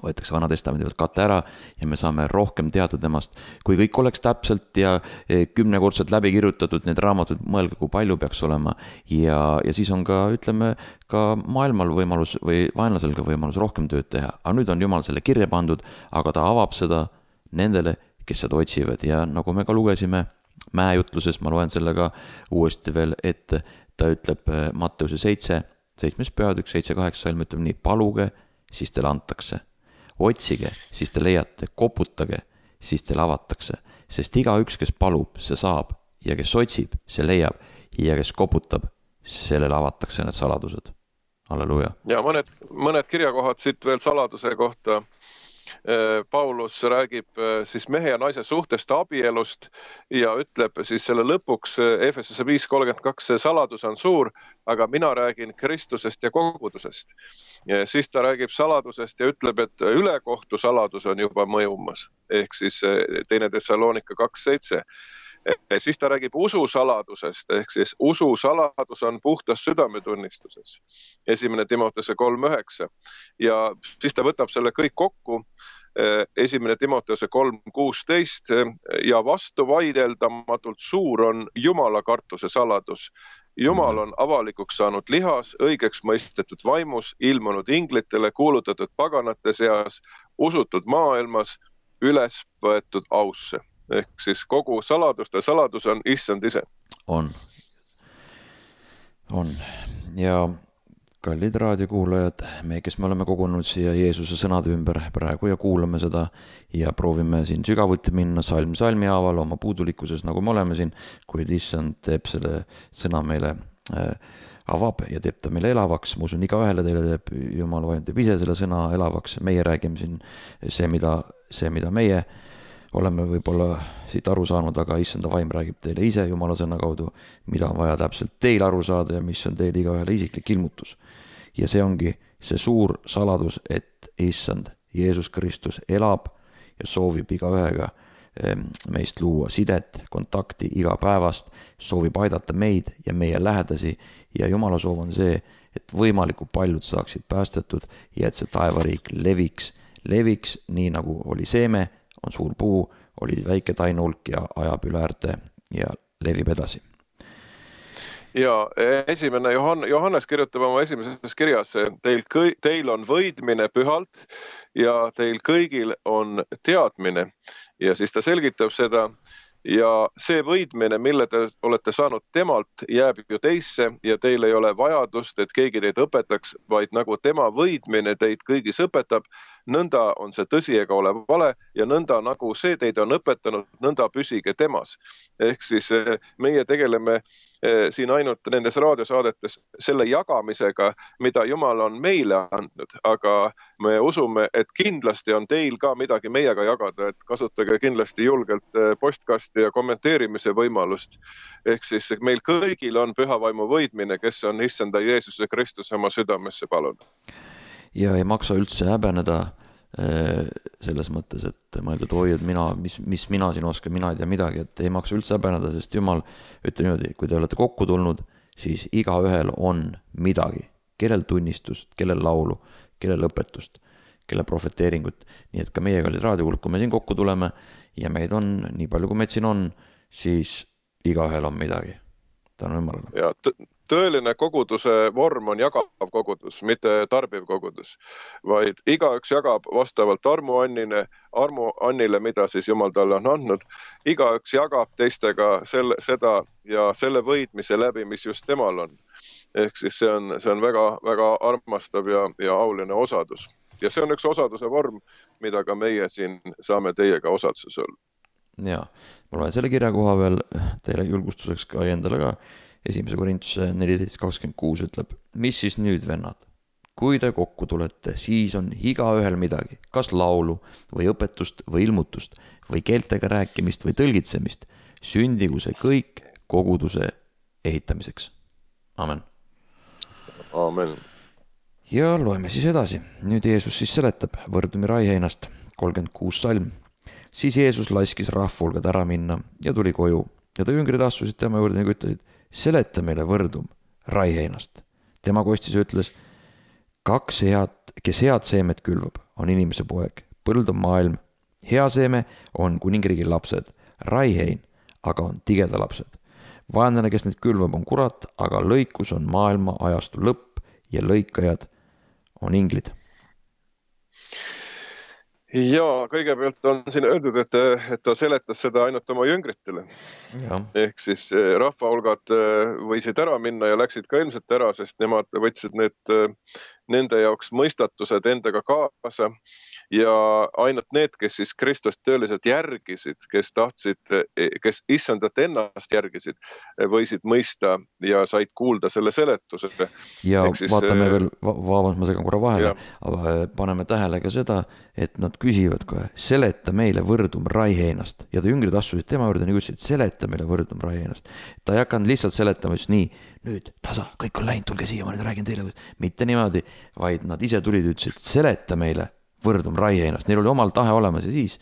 võetakse Vana Testamendi pealt kate ära ja me saame rohkem teada temast. Kui kõik oleks täpselt ja 10-kordselt läbi kirjutatud need raamatud, mõelge, kui palju peaks olema ja siis on ka, ütleme, ka maailmal võimalus või vaenlasel ka võimalus rohkem tööd teha. Aga nüüd on Jumal selle kirja pandud, aga ta avab seda nendele, kes seda otsivad ja nagu me ka lugesime mäejutluses, ma loen selle ka uuesti veel, et ta ütleb Matteuse 7 peatükk, 7-8 salm ütleb nii, paluge, siis teile antakse. Otsige, siis te leiate, koputage, siis teile avatakse, sest igaüks, kes palub, see saab ja kes otsib, see leiab ja kes koputab, sellele avatakse need saladused. Halleluja. Ja mõned kirjakohad siit veel saladuse kohta. Paulus räägib siis mehe ja naise suhtest abielust ja ütleb siis selle lõpuks Efesuse 5:32, see saladus on suur, aga mina räägin Kristusest ja kogudusest. Ja siis ta räägib saladusest ja ütleb, et ülekohtu saladus on juba mõjumas, ehk siis 2 Thessalonika 2:7. Siis ta räägib ususaladusest, ehk siis ususaladus on puhtas südametunnistuses. 1 Timoteuse 3:9. Ja siis ta võtab selle kõik kokku, 1 Timoteuse 3:16 ja vastuvaideldamatult suur on Jumala kartuse saladus. Jumal on avalikuks saanud lihas, õigeks mõistetud vaimus, ilmunud inglitele, kuulutatud paganate seas, usutud maailmas, üles võetud ausse. Ehk siis kogu saladuste saladus on issand ise. On. Ja kallid raadiokuulajad, me, kes me oleme kogunud siia Jeesuse sõnade ümber praegu ja kuulame seda ja proovime siin sügavuti minna salm salmi haaval oma puudulikkuses, nagu me oleme siin, kuid issand teeb selle sõna meile avab ja teeb ta meile elavaks. Ma usun, igaühele teile teeb Jumal vaim, teeb ise selle sõna elavaks. Meie räägime siin see, mida meie oleme võib-olla siit aru saanud, aga issanda vaim räägib teile ise Jumala sõna kaudu, mida on vaja täpselt teil aru saada ja mis on teil igaühele isiklik ilmutus. Ja see ongi see suur saladus, et issand Jeesus Kristus elab ja soovib igaühega meist luua sidet, kontakti igapäevast, soovib aidata meid ja meie lähedasi ja Jumala soov on see, et võimalikult paljud saaksid päästetud ja et see taevariik leviks nii nagu oli seeme, on suur puu, oli väike tainulk ja ajab üle äärte ja levib edasi. Ja esimene Johannes kirjutab oma esimeses kirjas, teil on võidmine pühalt ja teil kõigil on teadmine. Ja siis ta selgitab seda ja see võidmine, mille te olete saanud temalt, jääb ju teisse ja teil ei ole vajadust, et keegi teid õpetaks, vaid nagu tema võidmine teid kõigis õpetab, nõnda on see tõsi ega ole vale ja nõnda nagu see teid on õpetanud, nõnda püsige temas. Ehk siis meie tegeleme siin ainult nendes raadiosaadetes selle jagamisega, mida Jumal on meile andnud, aga me usume, et kindlasti on teil ka midagi meiega jagada, et kasutage kindlasti julgelt postkasti ja kommenteerimise võimalust. Ehk siis meil kõigil on püha vaimu võidmine, kes on issanda Jeesuse Kristuse oma südamesse palunud. Ja ei maksa üldse häbeneda selles mõttes, et mõelda, et oi, et mis mina siin oskan, mina ei tea midagi, et ei maksa üldse häbeneda, sest Jumal ütleb niimoodi, kui te olete kokku tulnud, siis igaühel on midagi, kellel tunnistust, kellel laulu, kellel õpetust, kellel profeteeringut, nii et ka meie kallid raadiokuulajad, kui me siin kokku tuleme ja meid on, nii palju kui meid siin on, siis igaühel on midagi. Tänu Jumalale. Ja tõeline koguduse vorm on jagav kogudus, mitte tarbiv kogudus, vaid igaüks jagab vastavalt armuannile, mida siis Jumal talle on andnud. Igaüks jagab teistega seda ja selle võidmise läbi, mis just temal on. Ehk siis see on väga, väga armastav ja auline osadus. Ja see on üks osaduse vorm, mida ka meie siin saame teiega osaduses olla. Ja, ma loen selle kirja koha veel teile julgustuseks ka endale ka. 1 Korintuse 14:26 ütleb, mis siis nüüd, vennad? Kui te kokku tulete, siis on igaühel midagi, kas laulu või õpetust või ilmutust või keeltega rääkimist või tõlgitsemist, sündigu see kõik koguduse ehitamiseks. Amen. Amen. Ja loeme siis edasi. Nüüd Jeesus siis seletab võrdumi raiheinast 36 salm. Siis Jeesus laskis rahvulgad ära minna ja tuli koju ja ta jüngrid astusid tema juurde ja ütlesid, seleta meile võrdum raiheinast. Tema kostis ja ütles, kes head seemet külvab, on inimese poeg, põld on maailm, hea seeme on kuningriigi lapsed, raihein aga on tigeda lapsed. Vaenlane, kes neid külvab, on kurat, aga lõikus on maailma ajastu lõpp ja lõikajad on inglid. Ja kõigepealt on siin öeldud, et ta seletas seda ainult oma jüngritele. Ja. Ehk siis rahvahulgad võisid ära minna ja läksid ka ilmselt ära, sest nemad võtsid nende jaoks mõistatused endaga kaasa ja ainult need, kes siis Kristust tõeliselt järgisid, kes issandat ennast järgisid, võisid mõista ja said kuulda selle seletuse. Ja vaatame veel, vabandust, ma segan korra vahele, paneme tähele ka seda, et nad küsivad kohe, seleta meile võrdum raiheinast. Ja ta jüngrid astusid tema juurde ja ütlesid, seleta meile võrdum raiheinast. Ta ei hakanud lihtsalt seletama, just nii, nüüd tasa, kõik on läinud, tulge siia, ma nüüd räägin teile. Mitte niimoodi, vaid nad ise tulid ja ütlesid, seleta meile võrdum raiheinast. Neil oli omal tahe olemas ja siis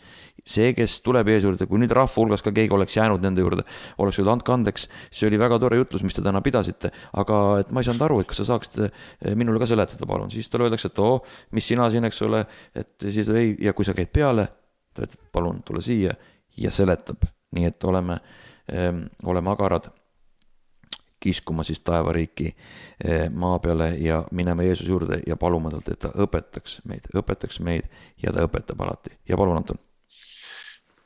see, kes tuleb ees juurde, kui nüüd rahva hulgas ka keegi oleks jäänud nende juurde, oleks öeldud, andke andeks, see oli väga tore jutlus, mis te täna pidasite, aga et ma ei saanud aru, et kas sa saaksite minule ka seletada, palun. Siis talle öeldakse, et mis sina siin, eks ole, et siis ei, ja kui sa käid peale, ta ütleb, palun, tule siia ja seletab. Nii et oleme agarad kiskuma siis taevariiki maa peale ja minema Jeesus juurde ja paluma talt, et ta õpetaks meid ja ta õpetab alati. Ja palun, Anton.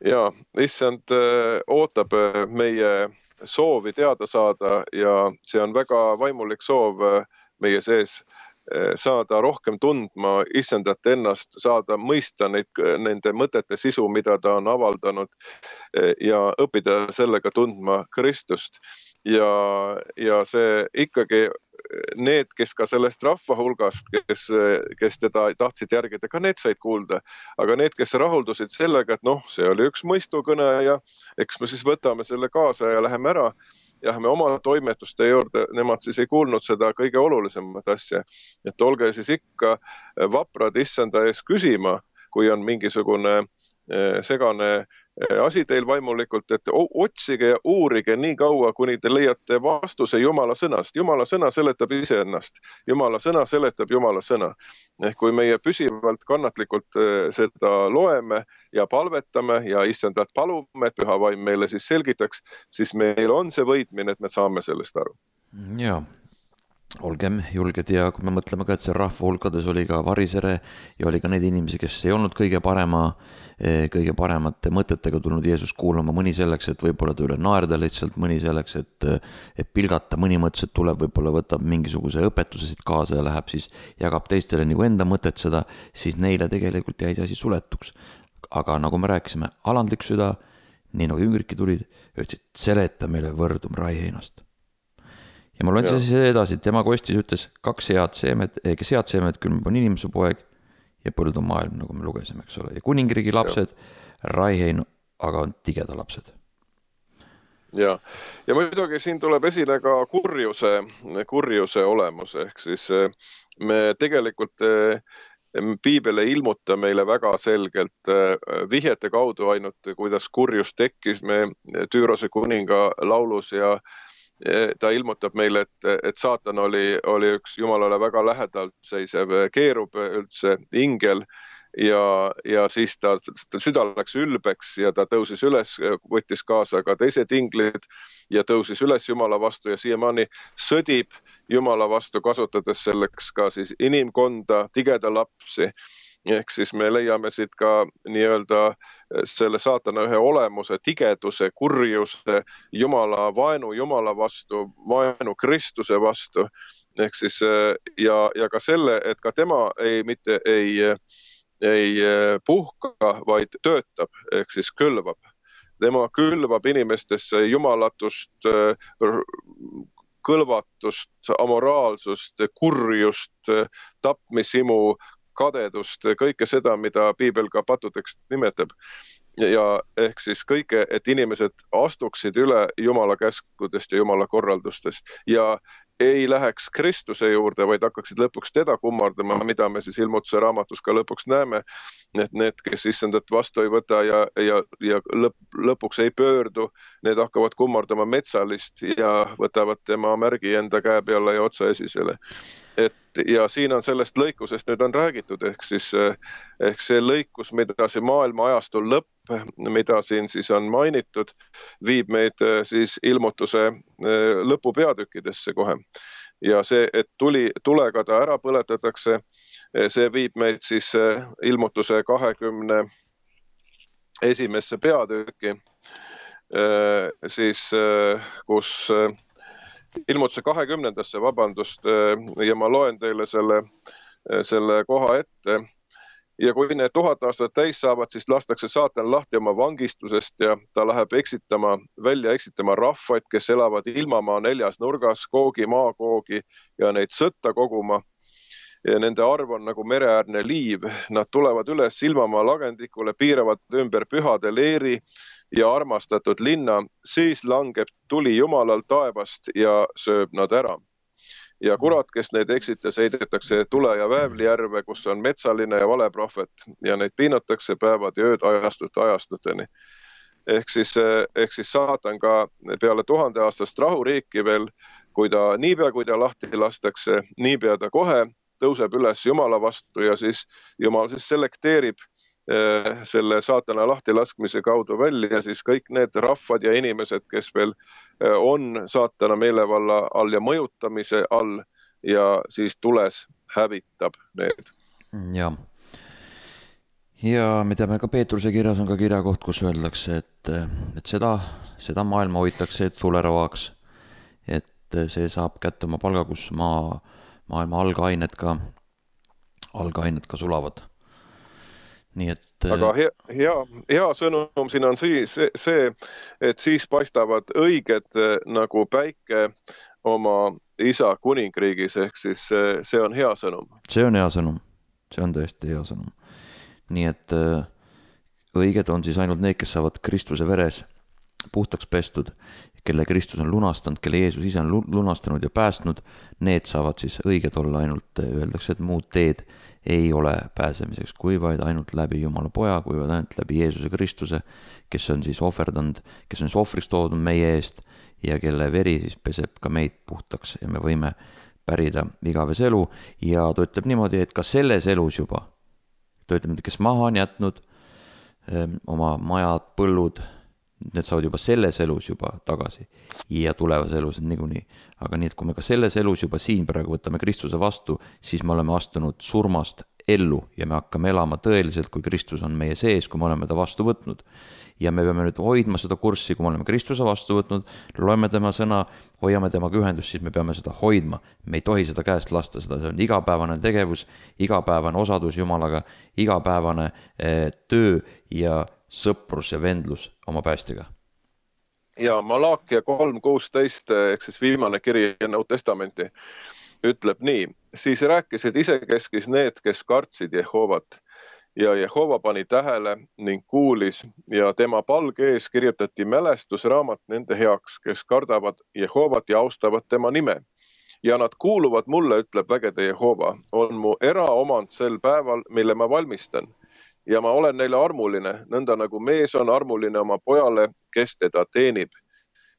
Ja, issand ootab meie soovi teada saada ja see on väga vaimulik soov meie sees saada rohkem tundma issandat ennast, saada mõista nende mõtete sisu, mida ta on avaldanud ja õppida sellega tundma Kristust. Ja see ikkagi need, kes ka sellest rahva hulgast, kes teda tahtsid järgida, ka need said kuulda. Aga need, kes rahuldusid sellega, et see oli üks mõistukõne ja eks me siis võtame selle kaasa ja läheme ära. Ja me oma toimetuste juurde, nemad siis ei kuulnud seda kõige olulisemat asja. Et olge siis ikka vaprad issanda ees küsima, kui on mingisugune segane asi teil vaimulikult, et otsige ja uurige nii kaua, kuni te leiate vastuse Jumala sõnast. Jumala sõna seletab ise ennast. Jumala sõna seletab Jumala sõna. Ehk kui meie püsivalt kannatlikult seda loeme ja palvetame ja issandat palume, et püha vaim meile siis selgitaks, siis meil on see võitmine, et me saame sellest aru. Jaa. Olgem julged ja kui me mõtleme ka, et see rahva hulkades oli ka varisere ja oli ka neid inimesi, kes ei olnud kõige paremate mõtetega tulnud Jeesus kuulama, mõni selleks, et võib-olla ta üle naerda lihtsalt, mõni selleks, et pilgata, mõni mõttes, et tuleb, võib-olla võtab mingisuguse õpetuse siit kaasa ja läheb siis jagab teistele nagu enda mõtet seda, siis neile tegelikult jäi see asi suletuks. Aga nagu me rääkisime, alandlik süda, nii nagu jüngridki tulid, ütlesid, seleta meile võrdum raiheinast. Ja ma loen siis edasi, tema kostis ütles, kaks head seemed, külm on inimese poeg ja põld on maailm, nagu me lugesime, eks ole. Ja kuningriigi lapsed, raihein, aga on tigeda lapsed. Ja muidugi siin tuleb esile ka kurjuse olemus, ehk siis me tegelikult Piibel ei ilmuta meile väga selgelt vihjete kaudu ainult, kuidas kurjus tekkis me Tüürose kuninga laulus ja ta ilmutab meile, et saatan oli üks Jumalale väga lähedalt seisev keerub üldse ingel ja siis ta süda läks ülbeks ja ta tõusis üles, võttis kaasa ka teised inglid ja tõusis üles Jumala vastu ja siiamaani sõdib Jumala vastu, kasutades selleks ka siis inimkonda, tigeda lapsi. Ehk siis me leiame siit ka nii-öelda selle saatana ühe olemuse, tigeduse, kurjuse, Jumala vaenu Jumala vastu, vaenu Kristuse vastu. Ehk siis ja ka selle, et ka tema mitte ei puhka, vaid töötab, ehk siis külvab. Tema külvab inimestesse jumalatust, kõlvatust, amoraalsust, kurjust, tapmisimu, kadedust, kõike seda, mida Piibel ka patudeks nimetab. Ja ehk siis kõike, et inimesed astuksid üle Jumala käskudest ja Jumala korraldustest ja ei läheks Kristuse juurde, vaid hakkaksid lõpuks teda kummardama, mida me siis ilmutuse raamatus ka lõpuks näeme, et need, kes issandat vastu ei võta ja lõpuks ei pöördu, need hakkavad kummardama metsalist ja võtavad tema märgi enda käe peale ja otsa esisele. ja siin on sellest lõikusest nüüd on räägitud, ehk see lõikus, mida see maailma ajastul lõpp, mida siin siis on mainitud, viib meid siis ilmutuse lõpupeatükkidesse kohe. Ja see, et tulega ta ära põletatakse, see viib meid siis ilmutuse 21. peatükki, siis kus ilmutuse 20. vabandust, ja ma loen teile selle koha ette. Ja kui need 1000 aastat täis saavad, siis lastakse saatan lahti oma vangistusest ja ta läheb välja eksitama rahvaid, kes elavad ilmamaa 4 nurgas, Googi, Maagoogi ja neid sõtta koguma. Ja nende arv on nagu mereäärne liiv. Nad tulevad üles ilmamaa lagendikule, piiravad ümber pühade leeri ja armastatud linna, siis langeb tuli Jumalal taevast ja sööb nad ära. Ja kurat, kes neid eksitas, heidetakse tule ja väävlijärve, kus on metsaline ja valeprohvet ja neid piinatakse päevad ja ööd ajastuteni. Ehk siis saatan ka peale 1000 aastast rahuriiki veel, niipea kui ta lahti lastakse, niipea ta kohe tõuseb üles Jumala vastu ja siis Jumal siis selekteerib selle saatana lahtilaskmise kaudu välja siis kõik need rahvad ja inimesed, kes veel on saatana meelevalla all ja mõjutamise all ja siis tules hävitab need. Ja me teame ka Peetruse kirjas on ka kirjakoht, kus öeldakse, et seda maailma hoitakse tuleravaks, et see saab kätte oma palga, kus maailma algained ka sulavad. Nii et... Aga hea sõnum siin on see, et siis paistavad õiged nagu päike oma isa kuningriigis, ehk siis see on hea sõnum. See on hea sõnum, see on tõesti hea sõnum. Nii et õiged on siis ainult need, kes saavad Kristuse veres puhtaks pestud, kelle Kristus on lunastanud, kelle Jeesus ise on lunastanud ja päästnud, need saavad siis õiged olla ainult, öeldakse, et muud teed ei ole pääsemiseks, kui vaid ainult läbi Jumala poja, kui vaid ainult läbi Jeesuse Kristuse, kes on siis ohverdanud, kes on siis ohvriks toodud meie eest ja kelle veri siis peseb ka meid puhtaks ja me võime pärida igavese elu. Ja ta ütleb niimoodi, et ka selles elus juba, ta ütleb, kes maha on jätnud oma majad, põllud, need saavad juba selles elus juba tagasi ja tulevas elus niikuinii. Aga nii, et kui me ka selles elus juba siin praegu võtame Kristuse vastu, siis me oleme astunud surmast ellu ja me hakkame elama tõeliselt, kui Kristus on meie sees, kui me oleme ta vastu võtnud. Ja me peame nüüd hoidma seda kurssi, kui me oleme Kristuse vastu võtnud, loeme tema sõna, hoiame temaga ühendust, siis me peame seda hoidma. Me ei tohi seda käest lasta, see on igapäevane tegevus, igapäevane osadus Jumalaga, igapäevane töö ja sõprus ja vendlus oma päästjaga. Ja Malaakia 3.16, ehk siis viimane kiri enne Uut Testamenti, ütleb nii. Siis rääkisid isekeskis need, kes kartsid Jehovat. Ja Jehova pani tähele ning kuulis ja tema palge ees kirjutati mälestusraamat nende heaks, kes kardavad Jehovat ja austavad tema nime. Ja nad kuuluvad mulle, ütleb vägede Jehova, on mu eraomand sel päeval, mille ma valmistan. Ja ma olen neile armuline, nõnda nagu mees on armuline oma pojale, kes teda teenib.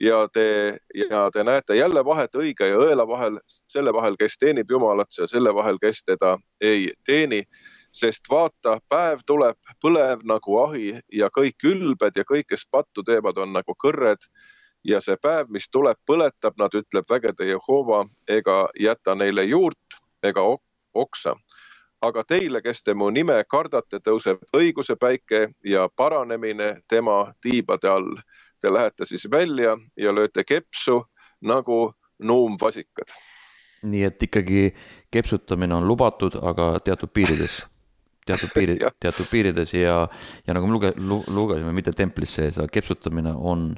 Ja te näete jälle vahet õige ja õela vahel, selle vahel, kes teenib Jumalat ja selle vahel, kes teda ei teeni. Sest vaata, päev tuleb põlev nagu ahi ja kõik ülbed ja kõik, kes pattu teevad, on nagu kõrred. Ja see päev, mis tuleb, põletab, nad ütleb vägede Jehova, ega jäta neile juurt ega oksa. Aga teile, kes te mu nime kardate, tõuseb õiguse päike ja paranemine tema tiibade all. Te lähete siis välja ja lööte kepsu nagu nuumvasikad. Nii et ikkagi kepsutamine on lubatud, aga teatud piirides. Teatud piirides ja nagu me lugesime, mitte templis sees, aga kepsutamine on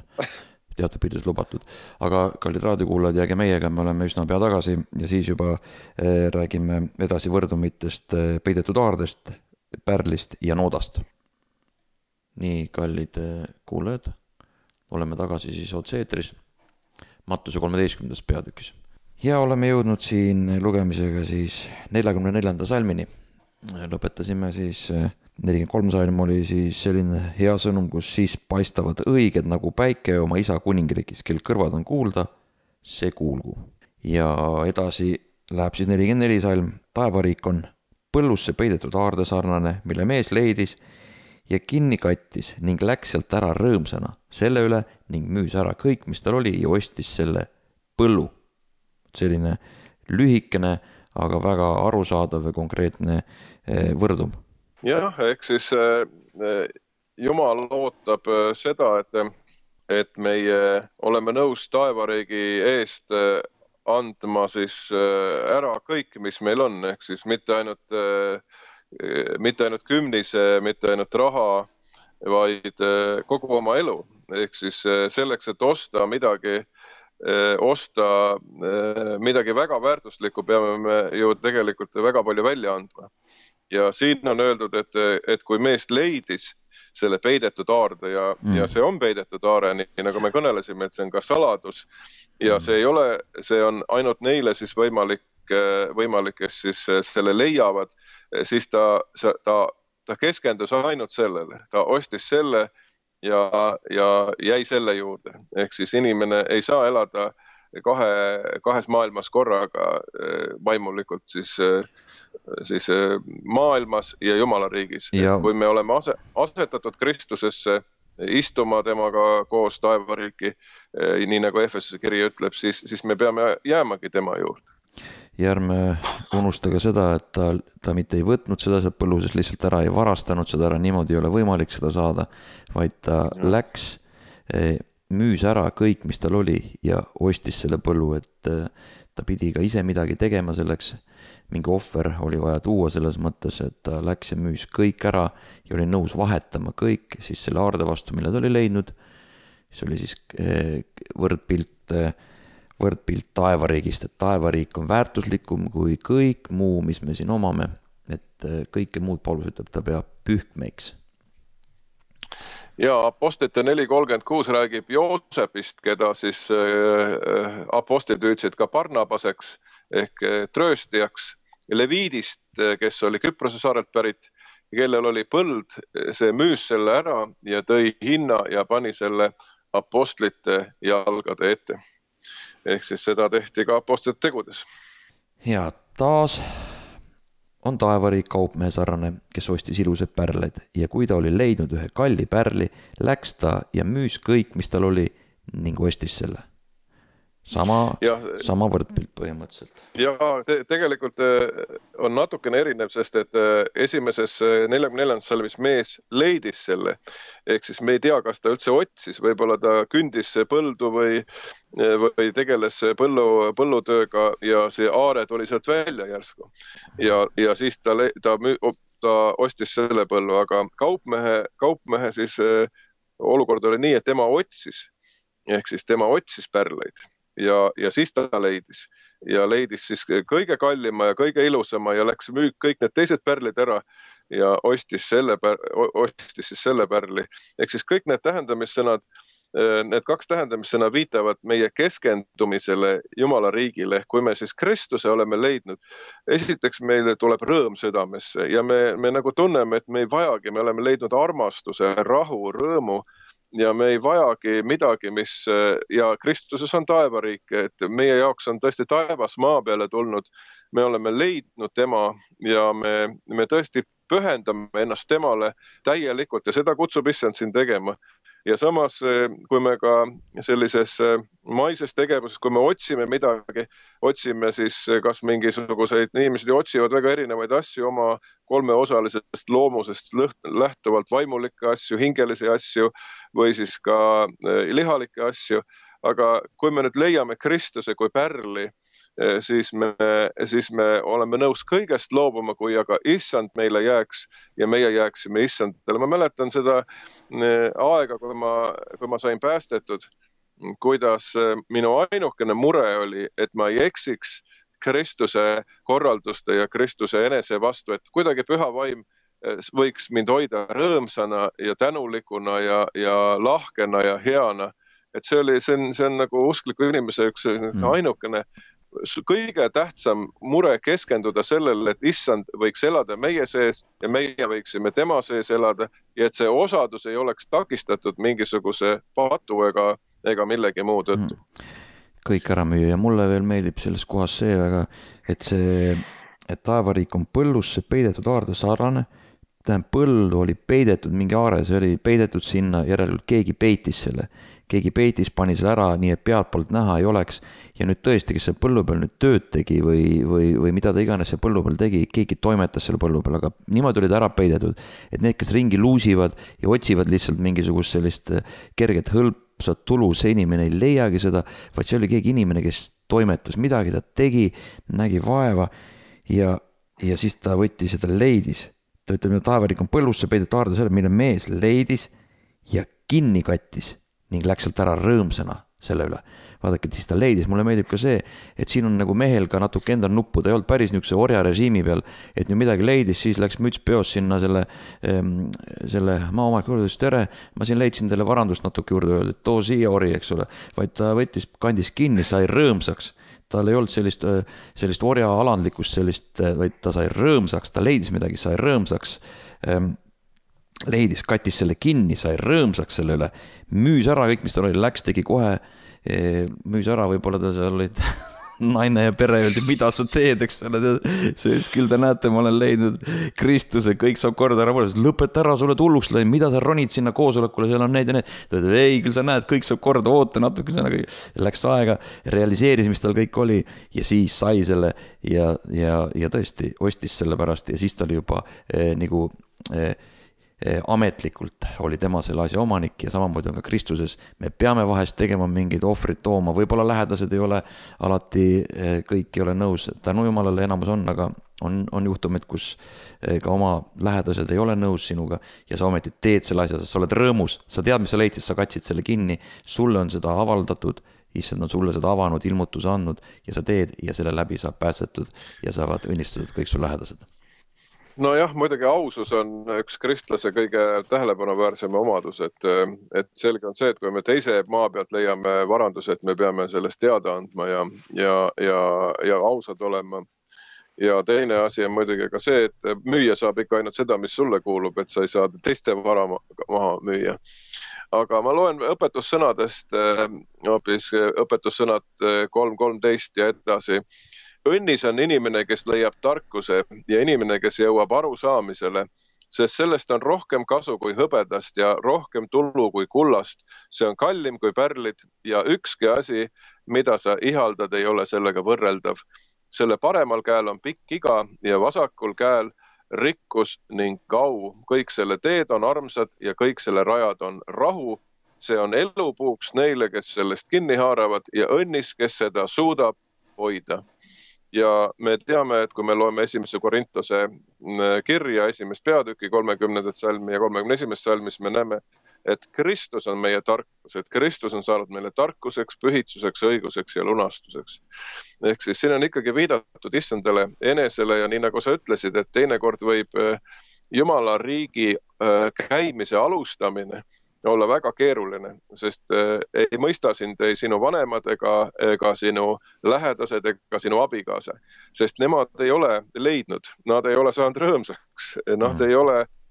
teatud piirides lubatud. Aga kallid raadiokuulajad, jääge meiega, me oleme üsna pea tagasi ja siis juba räägime edasi võrdumitest, peidetud aardest, pärlist ja noodast. Nii, kallid kuulajad, oleme tagasi siis otseetris Mattuse 13. peatükis. Ja oleme jõudnud siin lugemisega siis 44. salmini. Lõpetasime siis 43 salm oli siis selline hea sõnum, kus siis paistavad õiged nagu päike oma isa kuningriigis, kel kõrvad on kuulda, see kuulgu. Ja edasi läheb siis 44 salm. Taevariik on põllusse peidetud aarde sarnane, mille mees leidis ja kinni kattis ning läks sealt ära rõõmsana selle üle ning müüs ära kõik, mis tal oli ja ostis selle põllu. Selline lühikene, aga väga arusaadav ja konkreetne võrdum. Jah, ehk siis Jumal ootab seda, et meie oleme nõus taevariigi eest andma siis ära kõik, mis meil on, ehk siis mitte ainult kümnise, mitte ainult raha, vaid kogu oma elu. Ehk siis selleks, et osta midagi väga väärtuslikku, peame me ju tegelikult väga palju välja andma. Ja siin on öeldud, et kui mees leidis selle peidetud aarde ja see on peidetud aare, nii nagu me kõnelesime, et see on ka saladus ja see on ainult neile siis võimalik, kes siis selle leiavad, siis ta keskendus ainult sellele, ta ostis selle ja jäi selle juurde. Ehk siis inimene ei saa elada kahes maailmas korraga vaimulikult siis maailmas ja Jumala riigis. Kui me oleme asetatud Kristusesse, istuma temaga koos taevariiki, nii nagu Efesuse kiri ütleb, siis me peame jäämagi tema juurde. Ja ärme unusta ka seda, et ta mitte ei võtnud seda sealt põlluses lihtsalt ära, ei varastanud seda ära, niimoodi ei ole võimalik seda saada, vaid ta läks, müüs ära kõik, mis tal oli ja ostis selle põllu, et ta pidi ka ise midagi tegema selleks, mingi ohver oli vaja tuua selles mõttes, et ta läks ja müüs kõik ära ja oli nõus vahetama kõik siis selle aarde vastu, mille ta oli leidnud. See oli siis võrdpilt taevariigist, et taevariik on väärtuslikum kui kõik muu, mis me siin omame, et kõike muud Paulus ütleb, ta peab pühkmeiks. Ja Apostlite 4.36 räägib Joosepist, keda siis apostlid hüüdsid ka Barnabaseks ehk trööstijaks, Leviidist, kes oli Küprose saarelt pärit, kellel oli põld, see müüs selle ära ja tõi hinna ja pani selle apostlite jalgade ette. Ehk siis seda tehti ka apostlite tegudes. Ja taas on taevariik kaupmehe sarnane, kes ostis ilusad pärleid ja kui ta oli leidnud ühe kalli pärli, läks ta ja müüs kõik, mis tal oli ning ostis selle. Sama võrdpilt põhimõtteliselt. Ja tegelikult on natukene erinev, sest et esimeses 44. salmis mees leidis selle. Ehk siis me ei tea, kas ta üldse otsis, võib-olla ta kündis põldu või tegeles põllutööga ja see aare tuli sealt välja järsku. Ja siis ta ostis selle põllu, aga kaupmehe siis olukord oli nii, et tema otsis. Ehk siis tema otsis pärleid. Ja siis ta leidis siis kõige kallima ja kõige ilusama ja läks müük kõik need teised pärlid ära ja ostis siis selle pärli. Ehk siis kõik need tähendamissõnad, need kaks tähendamissõna viitavad meie keskendumisele Jumala riigile. Kui me siis Kristuse oleme leidnud, esiteks meile tuleb rõõm südamesse ja me nagu tunneme, et me ei vajagi, me oleme leidnud armastuse, rahu, rõõmu ja me ei vajagi midagi, ja Kristuses on taevariik, et meie jaoks on tõesti taevas maa peale tulnud. Me oleme leidnud tema ja me tõesti pühendame ennast temale täielikult ja seda kutsub issand siin tegema. Ja samas, kui me ka sellises maises tegevuses, kui me otsime midagi, otsime siis kas mingisuguseid, inimesed otsivad väga erinevaid asju oma kolmeosalisest loomusest lähtuvalt, vaimulikke asju, hingelisi asju või siis ka lihalikke asju. Aga kui me nüüd leiame Kristuse kui pärli, siis me oleme nõus kõigest loobuma, kui aga issand meile jääks ja meie jääksime issandale. Ma mäletan seda aega, kui ma sain päästetud, kuidas minu ainukene mure oli, et ma ei eksiks Kristuse korralduste ja Kristuse enese vastu, et kuidagi püha vaim võiks mind hoida rõõmsana ja tänulikuna ja lahkena ja heana. Et see on nagu uskliku inimese üks ainukene kõige tähtsam mure keskenduda sellele, et issand võiks elada meie sees ja meie võiksime tema sees elada ja et see osadus ei oleks takistatud mingisuguse patu ega millegi muu tõttu. kõik ära müüa ja mulle veel meeldib selles kohas see väga, et see, et taevariik on põllusse peidetud aarde sarnane. Tähendab, põld oli peidetud mingi aare, see oli peidetud sinna, järelikult keegi peitis selle. Keegi peitis, pani selle ära, nii et pealtpoolt näha ei oleks. Ja nüüd tõesti, kes see põllu peal nüüd tööd tegi või mida ta iganes see põllu peal tegi, keegi toimetas selle põllu peal, aga niimoodi oli ta ära peidetud. Et need, kes ringi luusivad ja otsivad lihtsalt mingisugust sellist kerget hõlpsat tulu, see inimene ei leiagi seda, vaid see oli keegi inimene, kes toimetas midagi, ta tegi, nägi vaeva ja siis ta võttis ja ta leidis. Ta ütleb, et taevariik on põllusse peidetud aarde selle, mille mees leidis ja kinni kattis ning läks sealt ära rõõmsana selle üle. Vaadake, et siis ta leidis, mulle meeldib ka see, et siin on nagu mehel ka natuke endal nuppu, ta ei olnud päris niisuguse orja režiimi peal, et nüüd midagi leidis, siis läks müts peos sinna selle maaomanik juurde, ütles tere, ma siin leidsin teile varandust natuke juurde öelda, et too siia ori, eks ole, vaid ta võttis, kandis kinni, sai rõõmsaks. Tal ei olnud sellist orja alandlikkust, vaid ta sai rõõmsaks, ta leidis midagi, sai rõõmsaks, leidis, kattis selle kinni, sai rõõmsaks selle üle, müüs ära kõik, mis tal oli, läks, tegi kohe, müüs ära, võib-olla ta seal olid naine ja pere öeldi, mida sa teed, eks ole, see ütles, küll te näete, ma olen leidnud Kristuse, kõik saab korda ära, lõpeta ära, sulle tulluks lõi, mida sa ronid sinna koosolekule, seal on need ja need, ta ütles, ei, küll sa näed, kõik saab korda, oota natuke, läks aega, realiseeris, mis tal kõik oli ja siis sai selle ja tõesti ostis selle pärast ja siis ta oli juba nagu ametlikult oli tema selle asja omanik ja samamoodi on ka Kristuses. Me peame vahest tegema mingeid ohvrid tooma, võib-olla lähedased ei ole alati, kõik ei ole nõus, tänu Jumalale enamus on, aga on juhtumid, kus ka oma lähedased ei ole nõus sinuga ja sa ometi teed selle asja, sa oled rõõmus, sa tead, mis sa leidsid, sa katsid selle kinni, sulle on seda avaldatud, issand on sulle seda avanud, ilmutuse andnud ja sa teed ja selle läbi saab päästetud ja saavad õnnistatud kõik su lähedased. Nojah, muidugi ausus on üks kristlase kõige tähelepanuväärsem omadus, et selge on see, et kui me teise maa pealt leiame varanduse, et me peame sellest teada andma ja ausad olema. Ja teine asi on muidugi ka see, et müüa saab ikka ainult seda, mis sulle kuulub, et sa ei saa teiste vara maha müüa. Aga ma loen õpetussõnadest, hoopis õpetussõnad 3.13 ja edasi. Õnnis on inimene, kes leiab tarkuse ja inimene, kes jõuab arusaamisele, sest sellest on rohkem kasu kui hõbedast ja rohkem tulu kui kullast. See on kallim kui pärlid ja ükski asi, mida sa ihaldad, ei ole sellega võrreldav. Selle paremal käel on pikk iga ja vasakul käel rikkus ning kau. Kõik selle teed on armsad ja kõik selle rajad on rahu. See on elupuuks neile, kes sellest kinni haaravad ja õnnis, kes seda suudab hoida. Ja me teame, et kui me loeme 1. Korintuse kirja, 1. peatüki 30. salmi ja 31. salmis, me näeme, et Kristus on meie tarkus, et Kristus on saanud meile tarkuseks, pühitsuseks, õiguseks ja lunastuseks. Ehk siis siin on ikkagi viidatud issandale enesele ja nii nagu sa ütlesid, et teinekord võib Jumala riigi käimise alustamine olla väga keeruline, sest ei mõista sind ei sinu vanemad ega sinu lähedased ega sinu abikaasa, sest nemad ei ole leidnud, nad ei ole saanud rõõmsaks,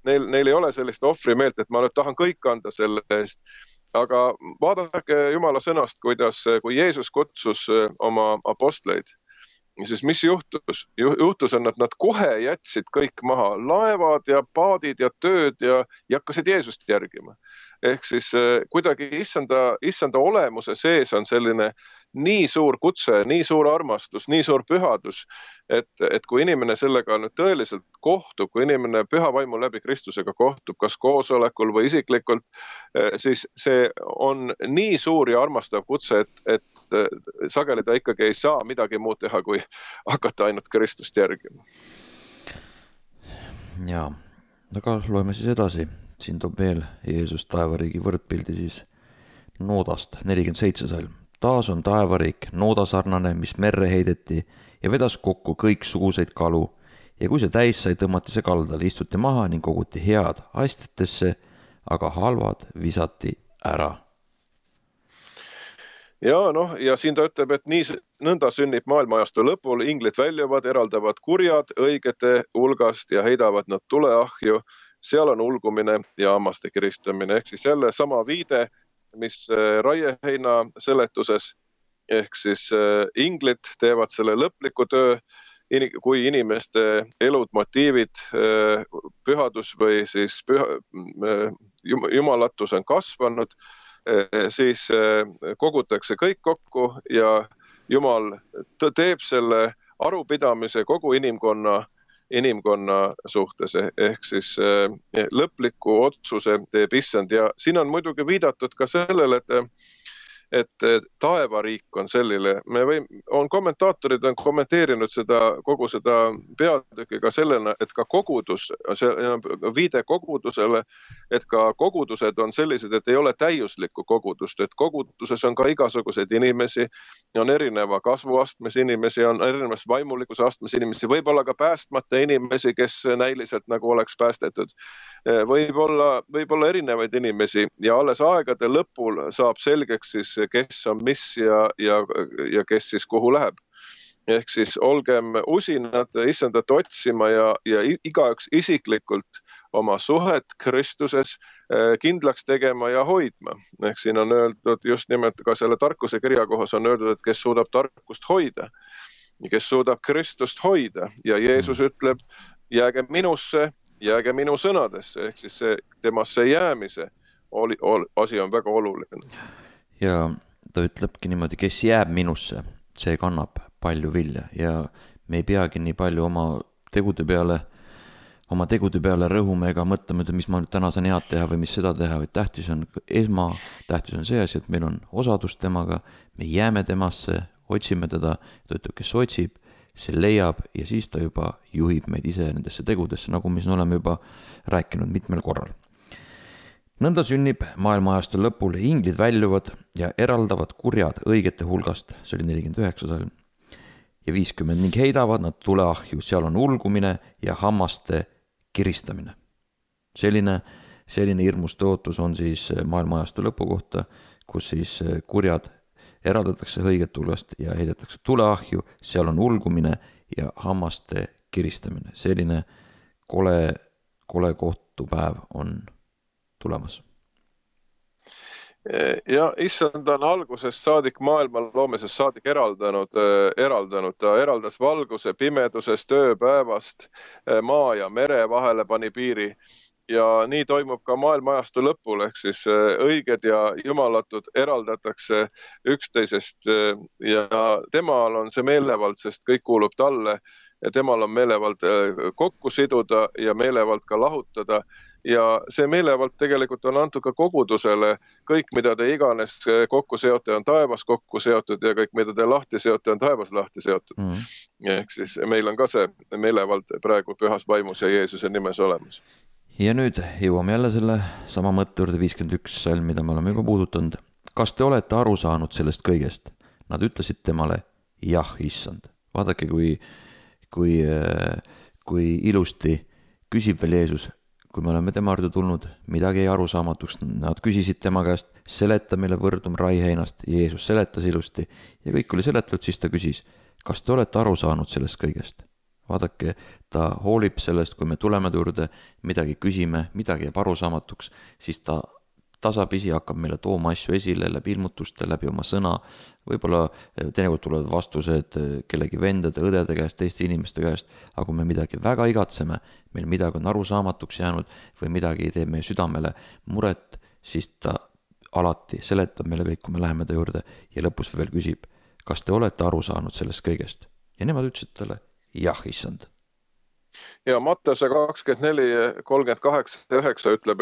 neil ei ole sellist ohvrimeelt, et ma nüüd tahan kõik anda selle eest, aga vaadake Jumala sõnast, kui Jeesus kutsus oma apostleid, siis mis juhtus? Juhtus on, et nad kohe jätsid kõik maha, laevad ja paadid ja tööd ja hakkasid Jeesust järgima. Ehk siis kuidagi issanda olemuse sees on selline nii suur kutse, nii suur armastus, nii suur pühadus, et kui inimene sellega nüüd tõeliselt kohtub, kui inimene püha vaimu läbi Kristusega kohtub, kas koosolekul või isiklikult, siis see on nii suur ja armastav kutse, et sageli ta ikkagi ei saa midagi muud teha, kui hakata ainult Kristust järgima. Jaa, aga loeme siis edasi. Siin toob veel Jeesus taevariigi võrdpildi siis noodast, 47 salm. Taas on taevariik noodasarnane, mis merre heideti ja vedas kokku kõik suguseid kalu. Ja kui see täis sai, tõmmati see kaldale, istuti maha ning koguti head astetesse, aga halvad visati ära. Ja siin ta ütleb, et nõnda sünnib maailmaajastu lõpul, inglid väljuvad, eraldavad kurjad õigete hulgast ja heidavad nad tuleahju. Seal on ulgumine ja hammaste kiristamine. Ehk siis jälle sama viide, mis raieheina seletuses. ehk siis inglid teevad selle lõpliku töö, kui inimeste elud, motiivid, pühadus või siis jumalatus on kasvanud, siis kogutakse kõik kokku ja Jumal teeb selle arupidamise kogu inimkonna suhtes, ehk siis lõpliku otsuse teeb issand. Ja siin on muidugi viidatud ka sellele, et taevariik on selline. Kommentaatorid on kommenteerinud kogu seda peatükki ka sellena, et ka kogudus, viide kogudusele, et ka kogudused on sellised, et ei ole täiuslikku kogudust, et koguduses on ka igasuguseid inimesi, on erineva kasvuastmes inimesi, on erinevas vaimulikkuse astmes inimesi, võib-olla ka päästmata inimesi, kes näiliselt nagu oleks päästetud. Võib-olla erinevaid inimesi ja alles aegade lõpul saab selgeks siis, kes on mis ja kes siis kuhu läheb. Ehk siis olgem usinad issandat otsima ja igaüks isiklikult oma suhet Kristuses kindlaks tegema ja hoidma. Ehk siin on öeldud just nimelt ka selle tarkuse kirja kohas on öeldud, et kes suudab tarkust hoida, kes suudab Kristust hoida ja Jeesus ütleb, jääge minusse, jääge minu sõnadesse, ehk siis temasse jäämise asi on väga oluline. Ja ta ütlebki niimoodi, kes jääb minusse, see kannab palju vilja ja me ei peagi nii palju oma tegude peale rõhume ega mõtlema, mis ma nüüd täna saan head teha või mis seda teha, vaid tähtis on see asi, et meil on osadus temaga, me jääme temasse, otsime teda, ta ütleb, kes otsib, see leiab ja siis ta juba juhib meid ise nendesse tegudesse, nagu me siin oleme juba rääkinud mitmel korral. Nõnda sünnib maailmaajastul lõpul, inglid väljuvad ja eraldavad kurjad õigete hulgast, see oli 49 salm, ja 50 ning heidavad nad tuleahju, seal on ulgumine ja hammaste kiristamine. Selline hirmus tõotus on siis maailmaajastul lõpu kohta, kus siis kurjad eraldatakse õiget hulgast ja heidetakse tuleahju, seal on ulgumine ja hammaste kiristamine. Selline kole kohtupäev on tulemas. Ja issand on algusest saadik maailma loomisest saadik eraldanud. Ta eraldas valguse pimedusest, ööpäevast, maa ja mere vahele pani piiri. Ja nii toimub ka maailmaajastu lõpul, ehk siis õiged ja jumalatud eraldatakse üksteisest ja temal on see meelevald, sest kõik kuulub talle ja temal on meelevald kokku siduda ja meelevald ka lahutada. Ja see meelevald tegelikult on antud ka kogudusele, kõik mida te iganes kokku seote on taevas kokku seotud ja kõik mida te lahti seote on taevas lahti seotud. Ehk siis meil on ka see meelevald praegu pühas vaimus ja Jeesuse nimes olemas. Ja nüüd jõuame jälle selle sama mõtte juurde 51 salm, mida me oleme juba puudutanud. Kas te olete aru saanud sellest kõigest? Nad ütlesid temale, jah, issand. Vaadake, kui ilusti küsib veel Jeesus, kui me oleme tema juurde tulnud, midagi ei arusaamatuks. Nad küsisid tema käest, seleta meile võrdum raiheinast. Jeesus seletas ilusti ja kõik oli seletatud, siis ta küsis, kas te olete aru saanud sellest kõigest? Vaadake, ta hoolib sellest, kui me tuleme juurde, midagi küsime, midagi jääb arusaamatuks, siis ta tasapisi hakkab meile tooma asju esile läbi ilmutuste, läbi oma sõna. Võib-olla teinekord tulevad vastused kellegi vendade, õdede käest, teiste inimeste käest, aga kui me midagi väga igatseme, meil midagi on arusaamatuks jäänud või midagi teeb meie südamele muret, siis ta alati seletab meile kõik, kui me läheme ta juurde ja lõpus veel küsib, kas te olete aru saanud sellest kõigest? Ja nemad ütlesid talle, jah, issand. Ja Mattuse 24:38-9 ütleb,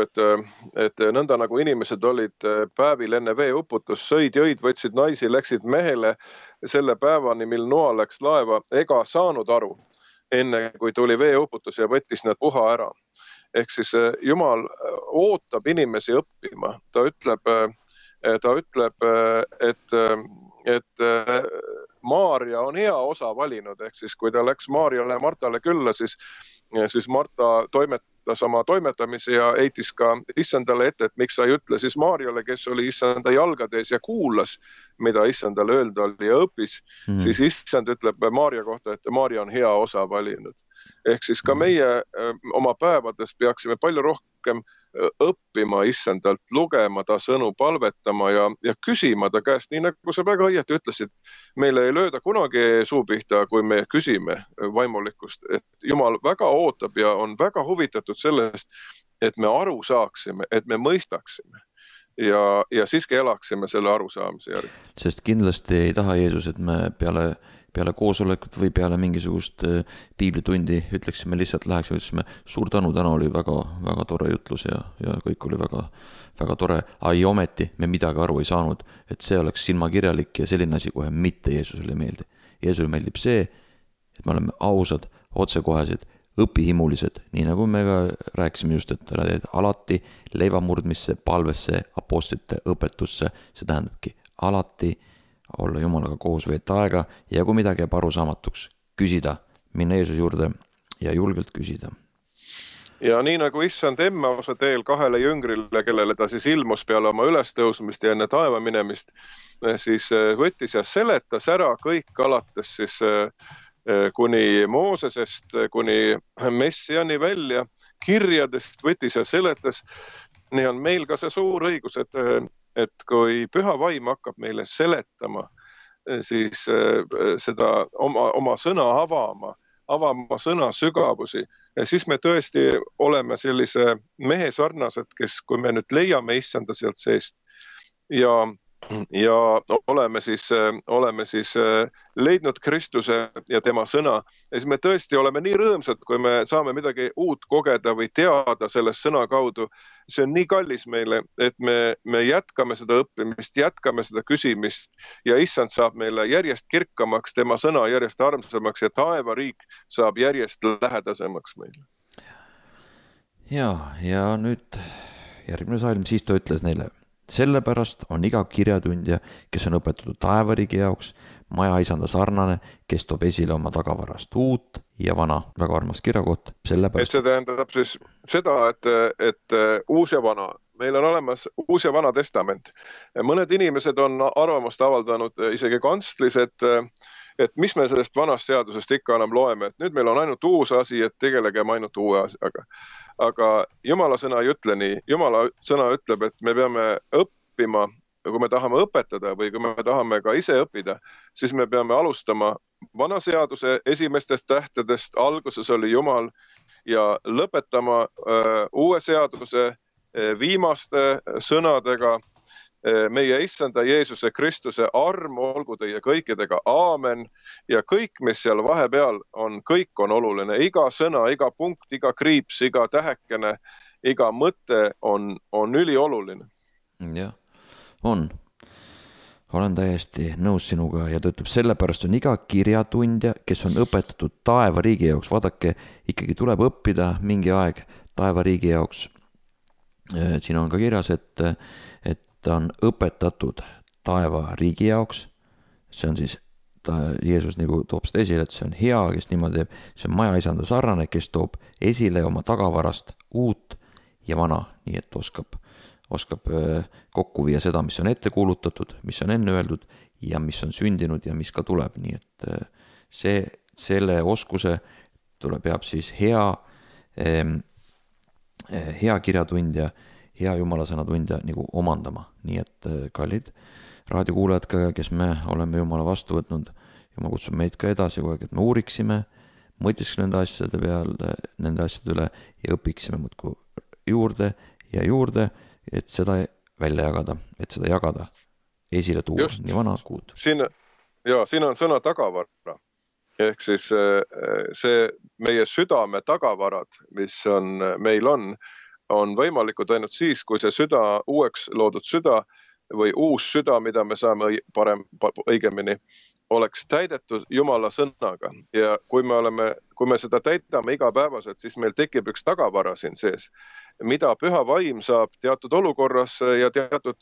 et nõnda nagu inimesed olid päevil enne veeuputus, sõid, jõid, võtsid naisi, läksid mehele selle päevani, mil Noa läks laeva, ega saanud aru, enne kui tuli veeuputus ja võttis nad puha ära. Ehk siis Jumal ootab inimesi õppima. Ta ütleb, et Maarja on hea osa valinud, ehk siis kui ta läks Maarjale ja Martale külla, siis Marta toimetas oma toimetamise ja heitis ka issandale ette, et miks sa ei ütle siis Maarjale, kes oli issanda jalgades ja kuulas, mida issandale öelda oli ja õppis, siis issand ütleb Maarja kohta, et Maarja on hea osa valinud. Ehk siis ka meie oma päevades peaksime palju rohkem õppima issandalt, lugema ta sõnu, palvetama ja küsima ta käest, nii nagu sa väga õieti ütlesid, meile ei lööda kunagi suu pihta, kui me küsime vaimulikkust, et Jumal väga ootab ja on väga huvitatud sellest, et me aru saaksime, et me mõistaksime ja siiski elaksime selle arusaamise järgi. Sest kindlasti ei taha Jeesus, et me peale koosolekut või peale mingisugust piiblitundi ütleksime lihtsalt, läheksime, ütlesime suur tänu, täna oli väga, väga tore jutlus ja kõik oli väga, väga tore. Ai ometi me midagi aru ei saanud, et see oleks silmakirjalik ja selline asi kohe mitte Jeesusele ei meeldi. Jeesusele meeldib see, et me oleme ausad, otsekohesed, õpihimulised, nii nagu me ka rääkisime just, et alati leivamurdmisse, palvesse, apostlite õpetusse, see tähendabki alati olla Jumalaga koos, veeta aega ja kui midagi jääb arusaamatuks, küsida, minna Jeesuse juurde ja julgelt küsida. Ja nii nagu issand Emmause teel 2 jüngrile, kellele ta siis ilmus peale oma ülestõusmist ja enne taeva minemist, siis võttis ja seletas ära kõik alates siis kuni Moosesest, kuni Messiani välja, kirjadest võttis ja seletas. Nii on meil ka see suur õigus, et kui püha vaim hakkab meile seletama, siis seda oma sõna avama sõna sügavusi, siis me tõesti oleme sellise mehe sarnased, kes, kui me nüüd leiame issanda sealt seest ja oleme siis leidnud Kristuse ja tema sõna. Ja siis me tõesti oleme nii rõõmsad, kui me saame midagi uut kogeda või teada sellest sõna kaudu. See on nii kallis meile, et me jätkame seda õppimist, jätkame seda küsimist ja issand saab meile järjest kirkamaks, tema sõna järjest armsamaks ja taevariik saab järjest lähedasemaks meile. Ja nüüd järgmine salm, siis ta ütles neile: sellepärast on iga kirjatundja, kes on õpetatud taevariigi jaoks, majaisanda sarnane, kes toob esile oma tagavarast uut ja vana. Väga armas kirjakoht. Et see tähendab siis seda, et uus ja vana. Meil on olemas uus ja vana testament. Mõned inimesed on arvamust avaldanud isegi kantslis, et mis me sellest vanast seadusest ikka enam loeme, et nüüd meil on ainult uus asi, et tegelegem ainult uue asiaga. Aga Jumala sõna ei ütle nii. Jumala sõna ütleb, et me peame õppima, kui me tahame õpetada või kui me tahame ka ise õppida, siis me peame alustama vana seaduse esimestest tähtedest, alguses oli Jumal, ja lõpetama uue seaduse viimaste sõnadega: meie issanda Jeesuse Kristuse arm olgu teie kõikidega, aamen. Ja kõik, mis seal vahepeal on, kõik on oluline. Iga sõna, iga punkt, iga kriips, iga tähekene, iga mõte on ülioluline. Jah, on. Olen täiesti nõus sinuga ja ta ütleb, sellepärast on iga kirjatundja, kes on õpetatud taevariigi jaoks. Vaadake, ikkagi tuleb õppida mingi aeg taevariigi jaoks. Siin on ka kirjas, et ta on õpetatud taevariigi jaoks. See on siis, Jeesus nagu toob seda esile, et see on hea, kes niimoodi teeb. See on majaisanda sarnane, kes toob esile oma tagavarast uut ja vana, nii et oskab kokku viia seda, mis on ette kuulutatud, mis on enne öeldud ja mis on sündinud ja mis ka tuleb. Nii et selle oskuse peab siis hea kirjatundja, hea jumalasõna tundja nagu omandama. Nii et kallid raadiokuulajad ka, kes me oleme Jumala vastu võtnud, Jumal kutsub meid ka edasi kogu aeg, et me uuriksime, mõtiksime nende asjade üle ja õpiksime muudkui juurde ja juurde, et seda välja jagada, et seda jagada, esile tuua. Just. Nii vana kuud. Siin on sõna tagavara. Ehk siis see meie südame tagavarad, mis meil on võimalikud ainult siis, kui see süda, uueks loodud süda või uus süda, mida me saame õigemini, oleks täidetud Jumala sõnaga. Ja kui me seda täidame igapäevaselt, siis meil tekib üks tagavara siin sees, mida püha vaim saab teatud olukorras ja teatud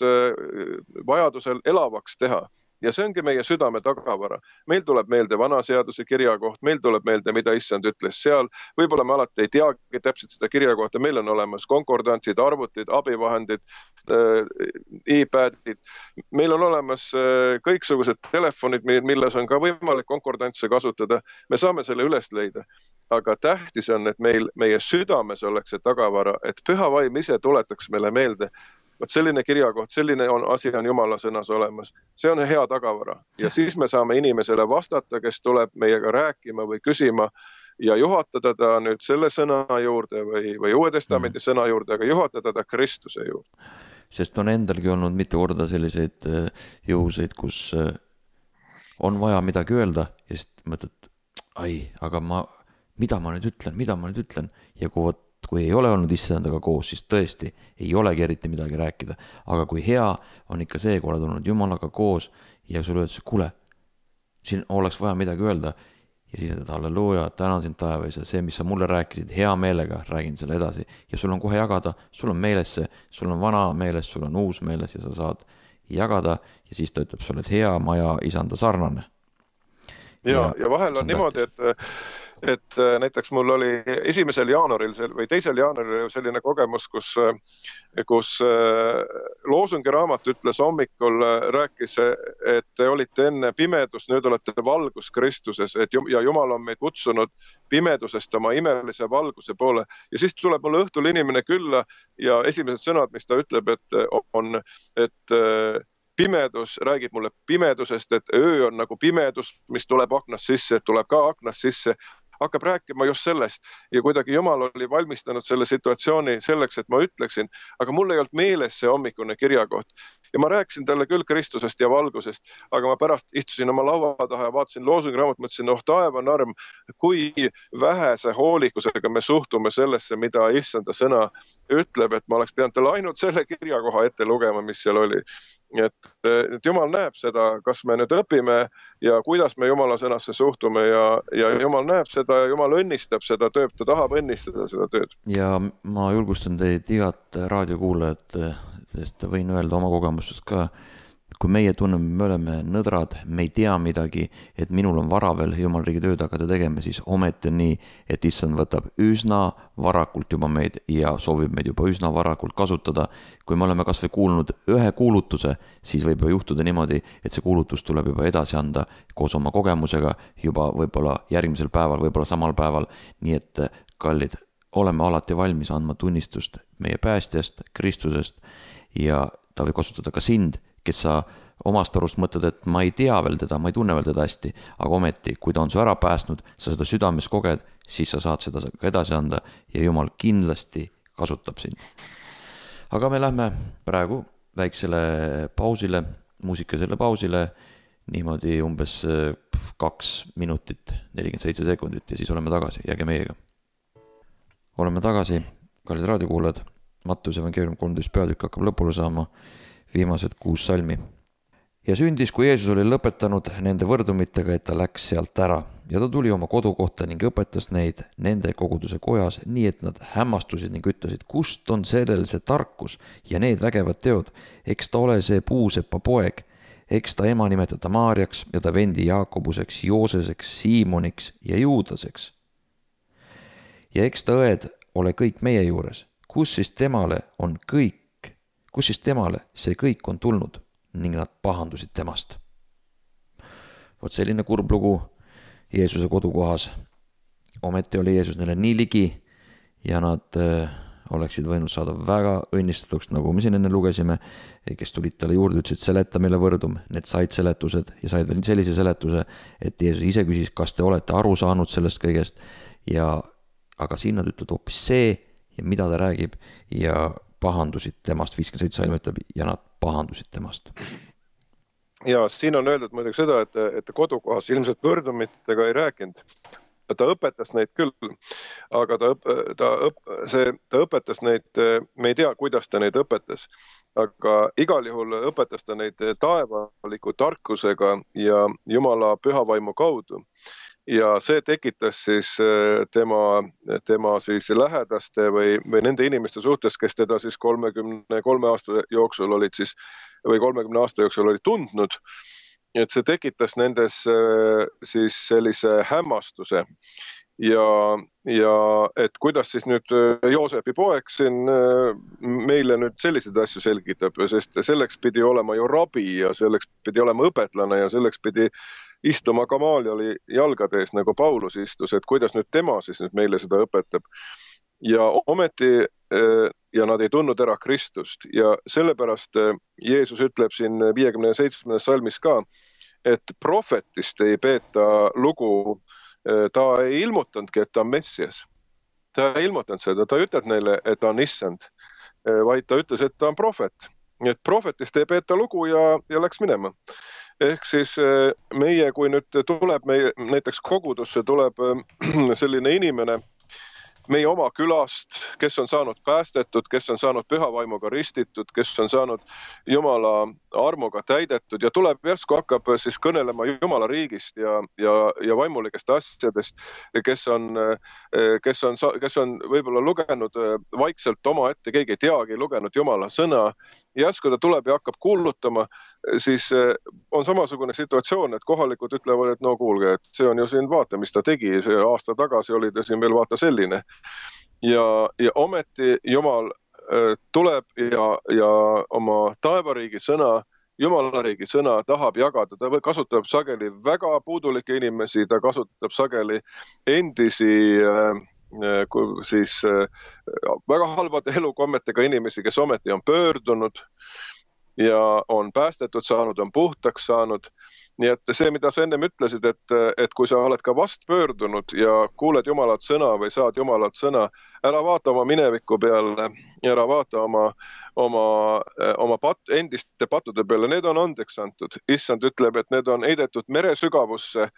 vajadusel elavaks teha. Ja see ongi meie südame tagavara. Meil tuleb meelde vana seaduse kirjakoht, meil tuleb meelde, mida issand ütles seal. Võib-olla me alati ei teagi täpselt seda kirjakohta, meil on olemas konkordantsid, arvutid, abivahendid, iPadid. Meil on olemas kõiksugused telefonid, milles on ka võimalik konkordantse kasutada. Me saame selle üles leida. Aga tähtis on, et meie südames oleks see tagavara, et püha vaim ise tuletaks meile meelde. Võt selline kirjakoht, selline asi on Jumala sõnas olemas. See on hea tagavara. Ja siis me saame inimesele vastata, kes tuleb meiega rääkima või küsima ja juhatada ta nüüd selle sõna juurde või Uue Testamendi sõna juurde, aga juhatada ta Kristuse juurde. Sest on endalgi olnud mitu korda selliseid juhuseid, kus on vaja midagi öelda ja siis mõtled, aga mida ma nüüd ütlen ja kui ei ole olnud issandaga koos, siis tõesti ei olegi eriti midagi rääkida. Aga kui hea on ikka see, kui oled olnud Jumalaga koos ja sulle öeldakse, kuule, siin oleks vaja midagi öelda ja siis ütled, halleluuja, tänan sind taevas ja see, mis sa mulle rääkisid, hea meelega räägin selle edasi ja sul on kohe jagada, sul on meeles see, sul on vana meeles, sul on uus meeles ja sa saad jagada ja siis ta ütleb sulle, et hea maja isanda sarnane. Ja vahel on niimoodi, et näiteks mul oli 1. jaanuaril või 2. jaanuaril selline kogemus, kus Loosungi raamat ütles hommikul, rääkis, et te olite enne pimedus, nüüd olete valgus Kristuses ja Jumal on meid kutsunud pimedusest oma imelise valguse poole. Ja siis tuleb mulle õhtul inimene külla ja esimesed sõnad, mis ta ütleb, et pimedus, räägib mulle pimedusest, et öö on nagu pimedus, mis tuleb aknast sisse, tuleb ka aknast sisse, hakkab rääkima just sellest ja kuidagi Jumal oli valmistanud selle situatsiooni selleks, et ma ütleksin, aga mul ei olnud meeles see hommikune kirjakoht. Ja ma rääkisin talle küll Kristusest ja valgusest, aga ma pärast istusin oma laua taha ja vaatasin Loosungi raamat, mõtlesin, taevan arm, kui vähese hoolikusega me suhtume sellesse, mida issanda sõna ütleb, et ma oleks pidanud talle ainult selle kirjakoha ette lugema, mis seal oli. Et Jumal näeb seda, kas me nüüd õpime ja kuidas me Jumala sõnasse suhtume ja Jumal näeb seda ja Jumal õnnistab seda tööd, ta tahab õnnistada seda tööd. Ja ma julgustan teid igat raadiokuulajat, sest võin öelda oma kogemustest ka, kui meie tunneme, me oleme nõdrad, me ei tea midagi, et minul on vara veel Jumal riigi tööd hakata tegema, siis ometi on nii, et issand võtab üsna varakult juba meid ja soovib meid juba üsna varakult kasutada. Kui me oleme kas või kuulnud ühe kuulutuse, siis võib juhtuda niimoodi, et see kuulutus tuleb juba edasi anda koos oma kogemusega juba võib-olla järgmisel päeval, võib-olla samal päeval. Nii et kallid, oleme alati valmis andma tunnistust meie päästjast, Kristusest ja ta võib kasutada ka sind, kes sa omast arust mõtled, et ma ei tea veel teda, ma ei tunne veel teda hästi, aga ometi, kui ta on su ära päästnud, sa seda südames koged, siis sa saad seda ka edasi anda ja Jumal kindlasti kasutab sind. Aga me lähme praegu väiksele pausile, muusikalisele pausile, niimoodi umbes 2 minutit, 47 sekundit ja siis oleme tagasi, jääge meiega. Oleme tagasi, kallid raadiokuulajad, Mattuse evangeelium 13 peatükk hakkab lõpule saama, viimased 6 salmi. Ja sündis, kui Jeesus oli lõpetanud nende võrdumitega, et ta läks sealt ära ja ta tuli oma kodukohta ning õpetas neid nende koguduse kojas, nii et nad hämmastusid ning ütlesid, kust on sellel see tarkus ja need vägevad teod, eks ta ole see puusepa poeg, eks ta ema nimetada Maarjaks ja ta vendi Jaakobuseks, Jooseseks, Siimoniks ja Juudaseks. Ja eks ta õed ole kõik meie juures, kus siis temale see kõik on tulnud ning nad pahandusid temast. Vot selline kurb lugu Jeesuse kodukohas. Ometi oli Jeesus neile nii ligi ja nad oleksid võinud saada väga õnnistatuks, nagu me siin enne lugesime, kes tulid talle juurde, ütlesid, seleta meile võrdum. Need said seletused ja said veel sellise seletuse, et Jeesus ise küsis, kas te olete aru saanud sellest kõigest aga siin nad ütled hoopis see ja mida ta räägib ja pahandusid temast, 57 salm ütleb, ja nad pahandusid temast. Ja siin on öeldud muidugi seda, et kodukohas ilmselt võrdumitega ei rääkinud. Ta õpetas neid küll, aga ta õpetas neid, me ei tea, kuidas ta neid õpetas, aga igal juhul õpetas ta neid taevaliku tarkusega ja Jumala pühavaimu kaudu. Ja see tekitas siis tema siis lähedaste või nende inimeste suhtes, kes teda siis 33 aasta jooksul olid siis, või 30 aasta jooksul olid tundnud. et see tekitas nendes siis sellise hämmastuse ja et kuidas siis nüüd Joosepi poeg siin meile nüüd selliseid asju selgitab, sest selleks pidi olema ju rabi ja selleks pidi olema õpetlane ja selleks pidi istuma Gamalieli jalgade ees, nagu Paulus istus, et kuidas nüüd tema siis nüüd meile seda õpetab. Ja ometi ja nad ei tundnud ära Kristust ja sellepärast Jeesus ütleb siin 57. salmis ka, et prohvetist ei peeta lugu, ta ei ilmutanudki, et ta on Messias. Ta ei ilmutanud seda, ta ei ütelnud neile, et ta on issand, vaid ta ütles, et ta on prohvet. Et prohvetist ei peeta lugu ja läks minema. Ehk siis meie, kui nüüd tuleb näiteks kogudusse, tuleb selline inimene meie oma külast, kes on saanud päästetud, kes on saanud püha vaimuga ristitud, kes on saanud Jumala armuga täidetud ja tuleb järsku hakkab siis kõnelema Jumala riigist ja vaimulikest asjadest, kes on võib-olla lugenud vaikselt oma ette, keegi ei teagi, lugenud Jumala sõna. Järsku ta tuleb ja hakkab kuulutama, siis on samasugune situatsioon, et kohalikud ütlevad, et no kuulge, et see on ju siin vaata, mis ta tegi, see aasta tagasi oli ta siin veel vaata selline. Ja ometi Jumal tuleb ja oma taevariigi sõna, Jumalariigi sõna tahab jagada, ta kasutab sageli väga puudulikke inimesi, ta kasutab sageli endisi siis väga halbade elukommetega inimesi, kes ometi on pöördunud ja on päästetud saanud, on puhtaks saanud. Nii et see, mida sa ennem ütlesid, et kui sa oled ka vast pöördunud ja kuuled Jumalat sõna või saad Jumalat sõna, ära vaata oma mineviku peale, ära vaata oma endiste pattude peale, need on andeks antud. Issand ütleb, et need on heidetud mere sügavusse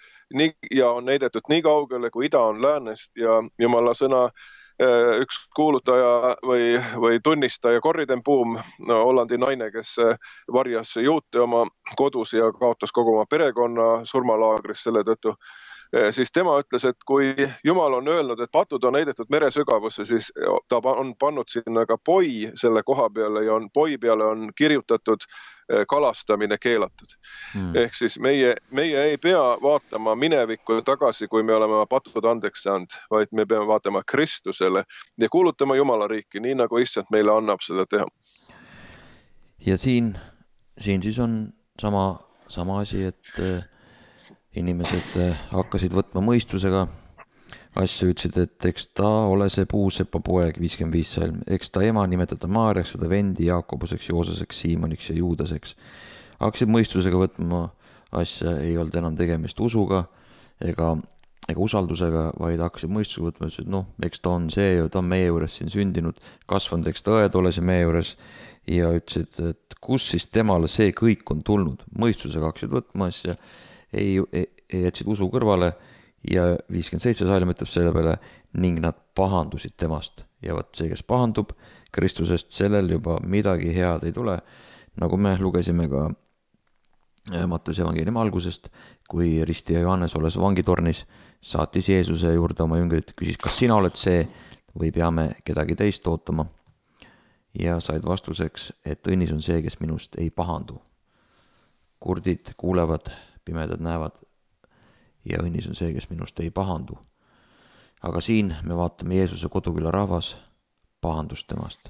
ja on heidetud nii kaugele, kui ida on läänest ja Jumala sõna üks kuulutaja või tunnistaja Corriden Boom, Hollandi naine, kes varjas juute oma kodus ja kaotas kogu oma perekonna surmalaagris selle tõttu, siis tema ütles, et kui Jumal on öelnud, et patud on heidetud mere sügavusse, siis ta on pannud sinna ka poi selle koha peale ja poi peale on kirjutatud kalastamine keelatud. Ehk siis meie ei pea vaatama minevikku tagasi, kui me oleme patud andeks saanud, vaid me peame vaatama Kristusele ja kuulutama Jumala riiki, nii nagu issand meile annab seda teha. Ja siin siis on sama asi, et inimesed hakkasid võtma mõistusega asju, ütlesid, et eks ta ole see puusepa poeg, 55 salm, eks ta ema nimetada Maarjaks, seda vendi Jaakobuseks, Jooseseks, Siimoniks ja Juudaseks. Hakkasid mõistusega võtma asja, ei olnud enam tegemist usuga ega usaldusega, vaid hakkasid mõistusega võtma, ütlesid, noh, eks ta on see ju, ta on meie juures siin sündinud, kasvanud, eks ta õed ole see meie juures ja ütlesid, et kus siis temale see kõik on tulnud. Mõistusega hakkasid võtma asja, ei jätsid usu kõrvale ja 57 salm ütleb selle peale ning nad pahandusid temast ja võt see, kes pahandub Kristusest, sellel juba midagi head ei tule, nagu me lugesime ka Mattuse evangeeliumi algusest, kui ristija Johannes olles vangitornis saatis Jeesuse juurde oma jüngrid, küsis, kas sina oled see või peame kedagi teist ootama ja said vastuseks, et õnnis on see, kes minust ei pahandu. Kurdid kuulevad, pimedad näevad ja õnnis on see, kes minust ei pahandu. Aga siin me vaatame Jeesuse koduküla rahvas pahandust temast.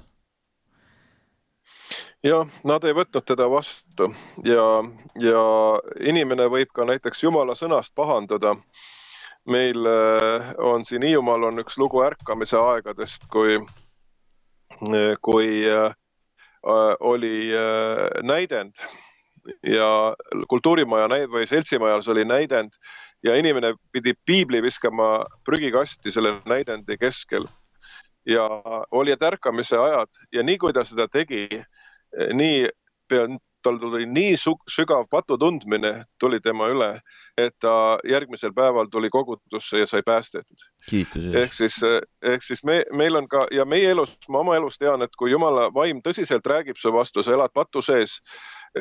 Ja nad ei võtnud teda vastu ja inimene võib ka näiteks Jumala sõnast pahandada. Meil on siin Hiiumaal on üks lugu ärkamise aegadest, kui oli näidend ja kultuurimaja või seltsimajas oli näidend ja inimene pidi piibli viskama prügikasti selle näidendi keskel ja oli ärkamise ajad ja nii kui ta seda tegi, nii tal tuli nii sügav patutundmine tuli tema üle, et ta järgmisel päeval tuli kogudusse ja sai päästetud. Ehk siis meil on ka, ja meie elus, ma oma elus tean, et kui Jumala vaim tõsiselt räägib su vastu, sa elad patu sees,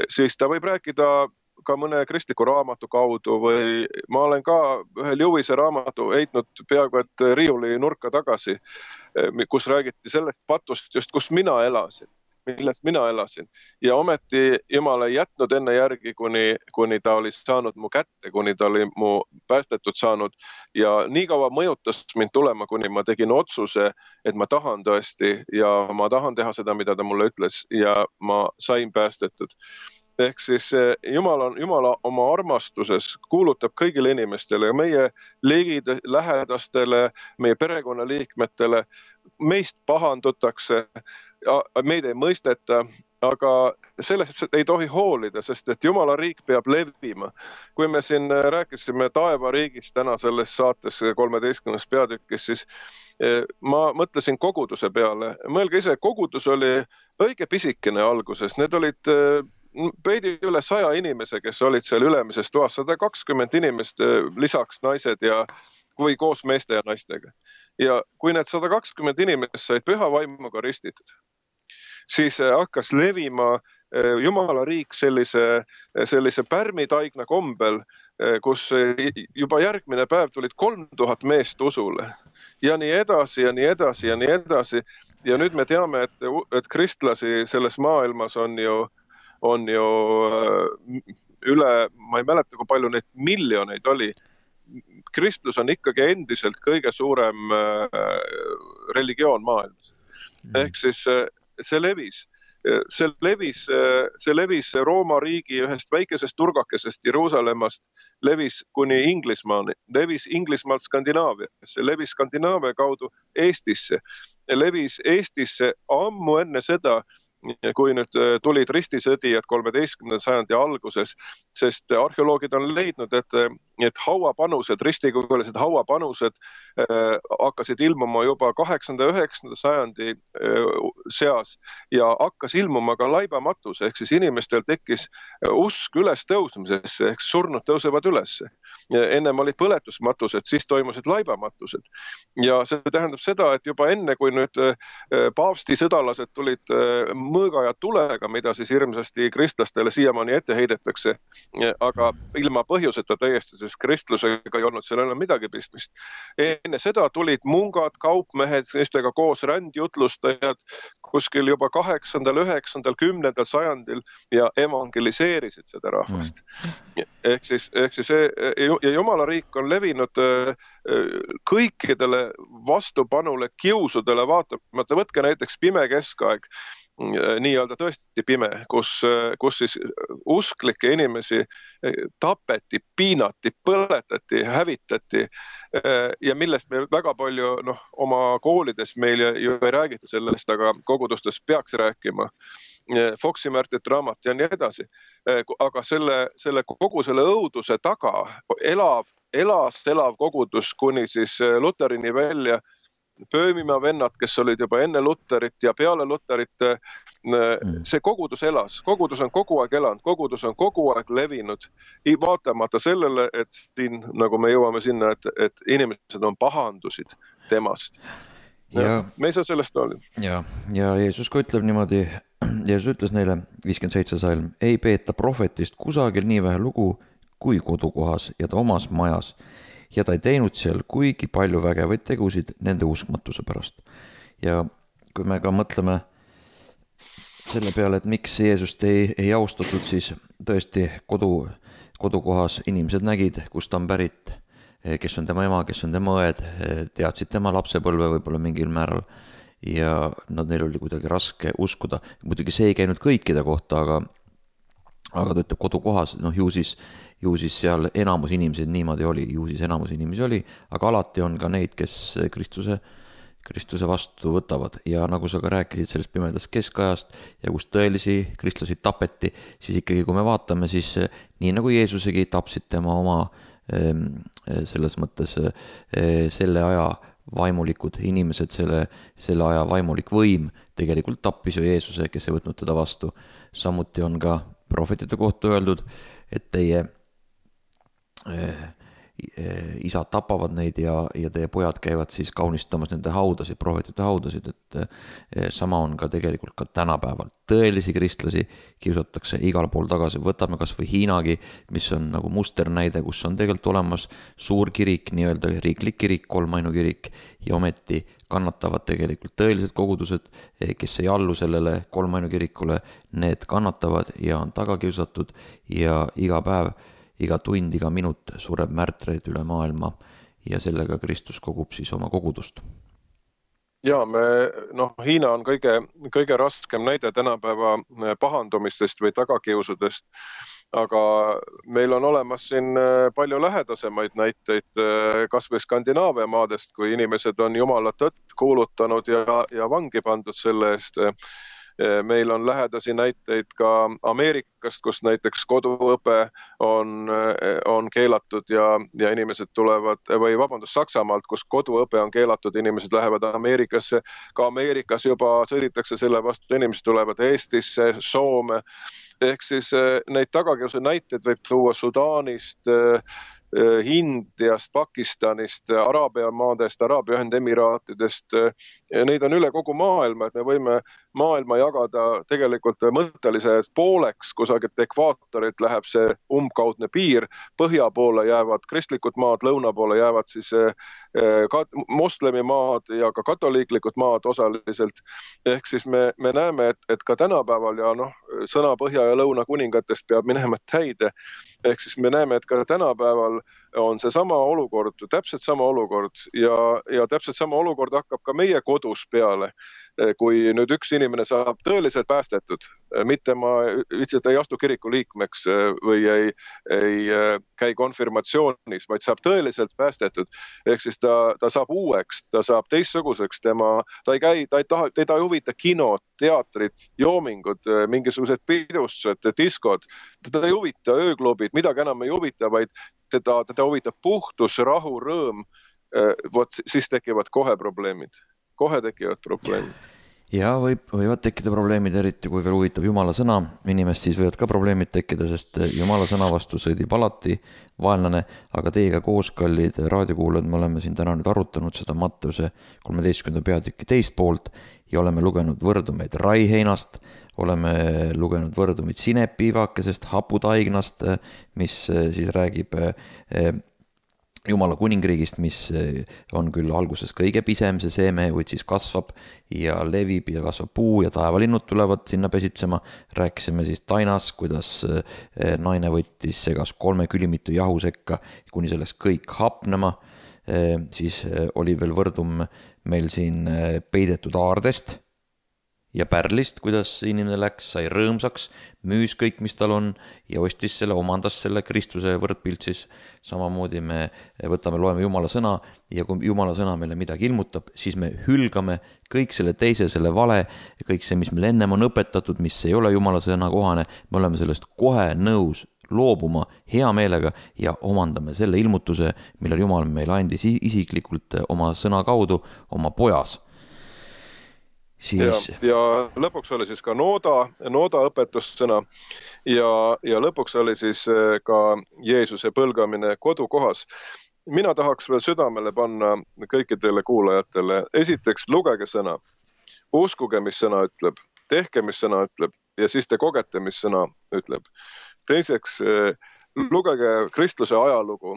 siis ta võib rääkida ka mõne kristliku raamatu kaudu või ma olen ka ühe Lewise raamatu heitnud peaaegu et riiuli nurka tagasi, kus räägiti sellest patust just, kus mina elasin. millest mina elasin. Ja ometi Jumal ei jätnud enne järgi, kuni ta oli saanud mu kätte, kuni ta oli mu päästetud saanud. Ja nii kaua mõjutas mind tulema, kuni ma tegin otsuse, et ma tahan tõesti ja ma tahan teha seda, mida ta mulle ütles ja ma sain päästetud. Ehk siis Jumala oma armastuses kuulutab kõigile inimestele ja meie lähedastele, meie perekonnaliikmetele, meist pahandutakse, meid ei mõisteta, aga sellest ei tohi hoolida, sest et Jumala riik peab levima. Kui me siin rääkisime taevariigist täna selles saates 13. peatükis, siis ma mõtlesin koguduse peale. Mõelge ise, kogudus oli õige pisikene alguses, need olid peidi üle 100 inimese, kes olid seal ülemises toas, 120 inimest, lisaks naised või koos meeste ja naistega. Ja kui need 120 inimest said püha vaimuga ristitud, siis hakkas levima Jumala riik sellise pärmitaigna kombel, kus juba järgmine päev tulid 3000 meest usule. Ja nii edasi ja nii edasi ja nii edasi. Ja nüüd me teame, et kristlasi selles maailmas on ju üle, ma ei mäleta, kui palju neid miljoneid oli. Kristlus on ikkagi endiselt kõige suurem religioon maailmas. Ehk siis see levis. See levis Rooma riigi ühest väikesest turgakesest Jeruusalemmast, levis kuni Inglismaani, levis Inglismaalt Skandinaaviasse, levis Skandinaavia kaudu Eestisse, levis Eestisse ammu enne seda, kui nüüd tulid ristisõdijad 13. sajandi alguses, sest arheoloogid on leidnud, et hauapanused, ristikujulised hauapanused hakkasid ilmuma juba 8. ja 9. sajandi seas ja hakkas ilmuma ka laibamatus, ehk siis inimestel tekkis usk üles tõusmisesse, ehk surnud tõusevad üles. Ennem olid põletusmatused, siis toimusid laibamatused. Ja see tähendab seda, et juba enne, kui nüüd paavsti sõdalased tulid mõõga ja tulega, mida siis hirmsasti kristlastele siiamaani ette heidetakse, aga ilma põhjuseta täiesti, sest kristlusega ei olnud seal enam midagi pistmist. Enne seda tulid mungad, kaupmehed, neistega koos rändjutlustajad kuskil juba 8., 9., 10. sajandil ja evangeliseerisid seda rahvast. Ehk siis ja Jumala riik on levinud kõikidele vastupanule, kiusudele vaatamata. Võtke näiteks pime keskaeg, nii-öelda tõesti pime, kus siis usklikke inimesi tapeti, piinati, põletati, hävitati ja millest me väga palju oma koolides meil ju ei räägitud sellest, aga kogudustes peaks rääkima. Foxi märtit raamat ja nii edasi. Aga kogu selle õuduse taga elav kogudus kuni siis Luterini välja, Pöömimaa vennad, kes olid juba enne Luterit ja peale Luterit, see kogudus elas. Kogudus on kogu aeg elanud, kogudus on kogu aeg levinud, vaatamata sellele, et siin, nagu me jõuame sinna, et inimesed on pahandusid temast. Ja me ei saa sellest olla. Ja Jeesus ka ütleb niimoodi, Jeesus ütles neile, 57. salm, ei peeta prohvetist kusagil nii vähe lugu kui kodukohas ja ta omas majas. Ja ta ei teinud seal kuigi palju vägevaid tegusid nende uskmatuse pärast. Ja kui me ka mõtleme selle peale, et miks Jeesust ei austatud, siis tõesti kodukohas inimesed nägid, kust ta on pärit, kes on tema ema, kes on tema õed, teadsid tema lapsepõlve võib-olla mingil määral ja neil oli kuidagi raske uskuda. Muidugi see ei käinud kõikide kohta, aga ta ütleb kodukohas, ju siis seal enamus inimesi niimoodi oli, aga alati on ka neid, kes Kristuse vastu võtavad ja nagu sa ka rääkisid sellest pimedast keskajast ja kus tõelisi kristlasi tapeti, siis ikkagi kui me vaatame, siis nii nagu Jeesusegi tapsid tema oma selles mõttes selle aja vaimulikud inimesed, selle aja vaimulik võim tegelikult tappis ju Jeesuse, kes ei võtnud teda vastu. Samuti on ka prohvetide kohta öeldud, et teie isad tapavad neid ja teie pojad käivad siis kaunistamas nende haudasid, prohvetite haudasid, et sama on ka tegelikult ka tänapäeval. Tõelisi kristlasi kiusatakse igal pool tagasi, võtame kas või Hiinagi, mis on nagu musternäide, kus on tegelikult olemas suur kirik, nii-öelda riiklik kirik, kolmainu-kirik, ja ometi kannatavad tegelikult tõelised kogudused, kes ei allu sellele kolmainu-kirikule, need kannatavad ja on taga kiusatud ja iga päev, iga tund, iga minut sureb märtreid üle maailma ja sellega Kristus kogub siis oma kogudust. Ja Hiina on kõige raskem näide tänapäeva pahandumistest või tagakiusudest, aga meil on olemas siin palju lähedasemaid näiteid kas või Skandinaavia maadest, kui inimesed on Jumala tõtt kuulutanud ja vangi pandud selle eest. Meil on lähedasi näiteid ka Ameerikast, kus näiteks koduõpe on keelatud ja inimesed tulevad, või vabandust, Saksamaalt, kus koduõpe on keelatud, inimesed lähevad Ameerikasse. Ka Ameerikas juba sõditakse selle vastu, inimesed tulevad Eestisse, Soome. Ehk siis neid tagakiusu näiteid võib tuua Sudaanist, Indiast, Pakistanist, Araabia maadest, Araabia Ühendemiraatidest. Neid on üle kogu maailma, et me võime maailma jagada tegelikult mõtteliselt pooleks, kusagilt ekvaatorit läheb see umbkaudne piir, põhja poole jäävad kristlikud maad, lõuna poole jäävad siis moslemi maad ja ka katoliiklikud maad osaliselt. Ehk siis me näeme, et ka tänapäeval ja sõna põhja ja lõuna kuningatest peab minema täide. Ehk siis me näeme, et ka tänapäeval on see sama olukord, täpselt sama olukord ja täpselt sama olukord hakkab ka meie kodus peale. Kui nüüd üks inimene saab tõeliselt päästetud, mitte ma lihtsalt ei astu kiriku liikmeks või ei käi konfirmatsioonis, vaid saab tõeliselt päästetud. Ehk siis ta saab uueks, ta saab teistsuguseks, ta ei huvita kinod, teatrid, joomingud, mingisugused pidustused, diskod, teda ei huvita ööklubid, midagi enam ei huvita, vaid teda huvitab puhtus, rahu, rõõm, siis tekivad kohe probleemid. Kohe tekivad probleemid. Ja võivad tekkida probleemid, eriti kui veel huvitab Jumala sõna inimest, siis võivad ka probleemid tekkida, sest Jumala sõna vastu sõdib alati vaenlane, aga teiega koos, kallid raadiokuulajad, me oleme siin täna nüüd arutanud seda Matteuse 13. peatüki teist poolt ja oleme lugenud võrdumeid raiheinast, oleme lugenud võrdumeid sinepiivakesest, haputaignast, mis siis räägib Jumala kuningriigist, mis on küll alguses kõige pisem, see seeme, kuid siis kasvab ja levib ja kasvab puu ja taevalinnud tulevad sinna pesitsema. Rääkisime siis tainas, kuidas naine võttis segas 3 külimitu jahu sekka, kuni selleks kõik hapnema. Siis oli veel võrdum meil siin peidetud aardest ja pärlist, kuidas inimene läks, sai rõõmsaks, müüs kõik, mis tal on ja ostis selle, omandas selle Kristuse võrdpilt siis. Samamoodi me loeme Jumala sõna ja kui Jumala sõna meile midagi ilmutab, siis me hülgame kõik selle teise, selle vale, kõik see, mis meil ennem on õpetatud, mis ei ole Jumala sõna kohane, me oleme sellest kohe nõus loobuma hea meelega ja omandame selle ilmutuse, mille Jumal meile andis isiklikult oma sõna kaudu, oma pojas. Ja lõpuks oli siis ka nooda õpetussõna ja lõpuks oli siis ka Jeesuse põlgamine kodukohas. Mina tahaks veel südamele panna kõikidele kuulajatele. Esiteks, lugege sõna. Uskuge, mis sõna ütleb. Tehke, mis sõna ütleb. Ja siis te kogete, mis sõna ütleb. Teiseks, lugege kristluse ajalugu.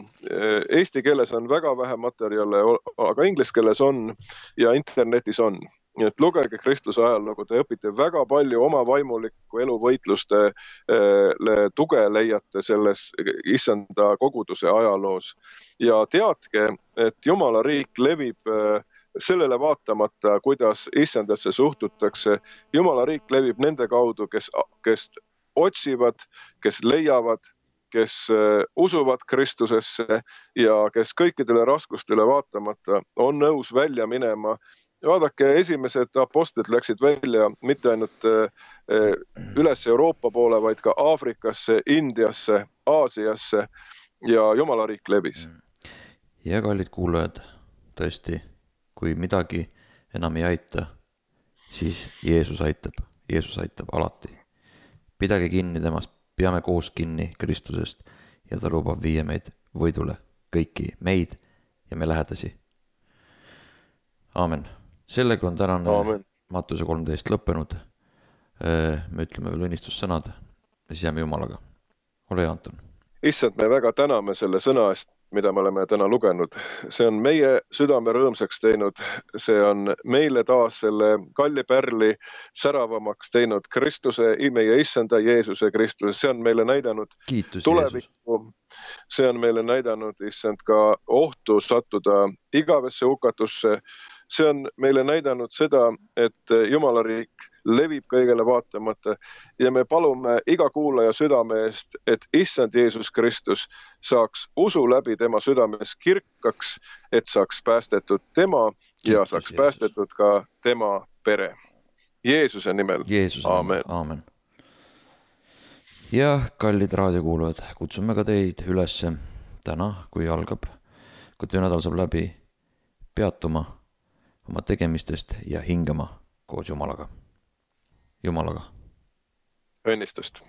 Eesti keeles on väga vähe materjale, aga inglise keeles on ja internetis on. Nii et lugege kristluse ajalugu, te õpite väga palju oma vaimuliku eluvõitluste tuge leiate selles issanda koguduse ajaloos. Ja teadke, et Jumala riik levib sellele vaatamata, kuidas issandasse suhtutakse. Jumala riik levib nende kaudu, kes otsivad, kes leiavad, kes usuvad Kristusesse ja kes kõikidele raskustele vaatamata on nõus välja minema. Vaadake, esimesed apostlid läksid välja mitte ainult üles Euroopa poole, vaid ka Aafrikasse, Indiasse, Aasiasse ja Jumala riik levis. Ja kallid kuulajad, tõesti, kui midagi enam ei aita, siis Jeesus aitab alati. Pidage kinni temast, peame koos kinni Kristusest ja ta lubab viia meid võidule kõiki meid ja me lähedasi. Aamen. Sellega on tänane Aamen. Mattuse 13 lõppenud. Me ütleme veel õnnistussõnad ja siis jääme Jumalaga. Ole hea, Anton. Issand, me väga täname selle sõna eest, mida me oleme täna lugenud. See on meie südame rõõmsaks teinud. See on meile taas selle kalli pärli säravamaks teinud Kristuse, meie Issanda Jeesuse Kristuse. See on meile näidanud tulevikku. See on meile näidanud, Issand, ka ohtu sattuda igavesse hukatusse. See on meile näidanud seda, et Jumala riik levib kõigele vaatamata ja me palume iga kuulaja südame eest, et Issand Jeesus Kristus saaks usu läbi tema südames kirkaks, et saaks päästetud tema ja saaks päästetud ka tema pere. Jeesuse nimel. Aamen. Aamen. Ja kallid raadiokuulujad, kutsume ka teid üles täna, kui algab, kui töönädal saab läbi, peatuma oma tegemistest ja hingama koos Jumalaga. Jumalaga. Õnnistust.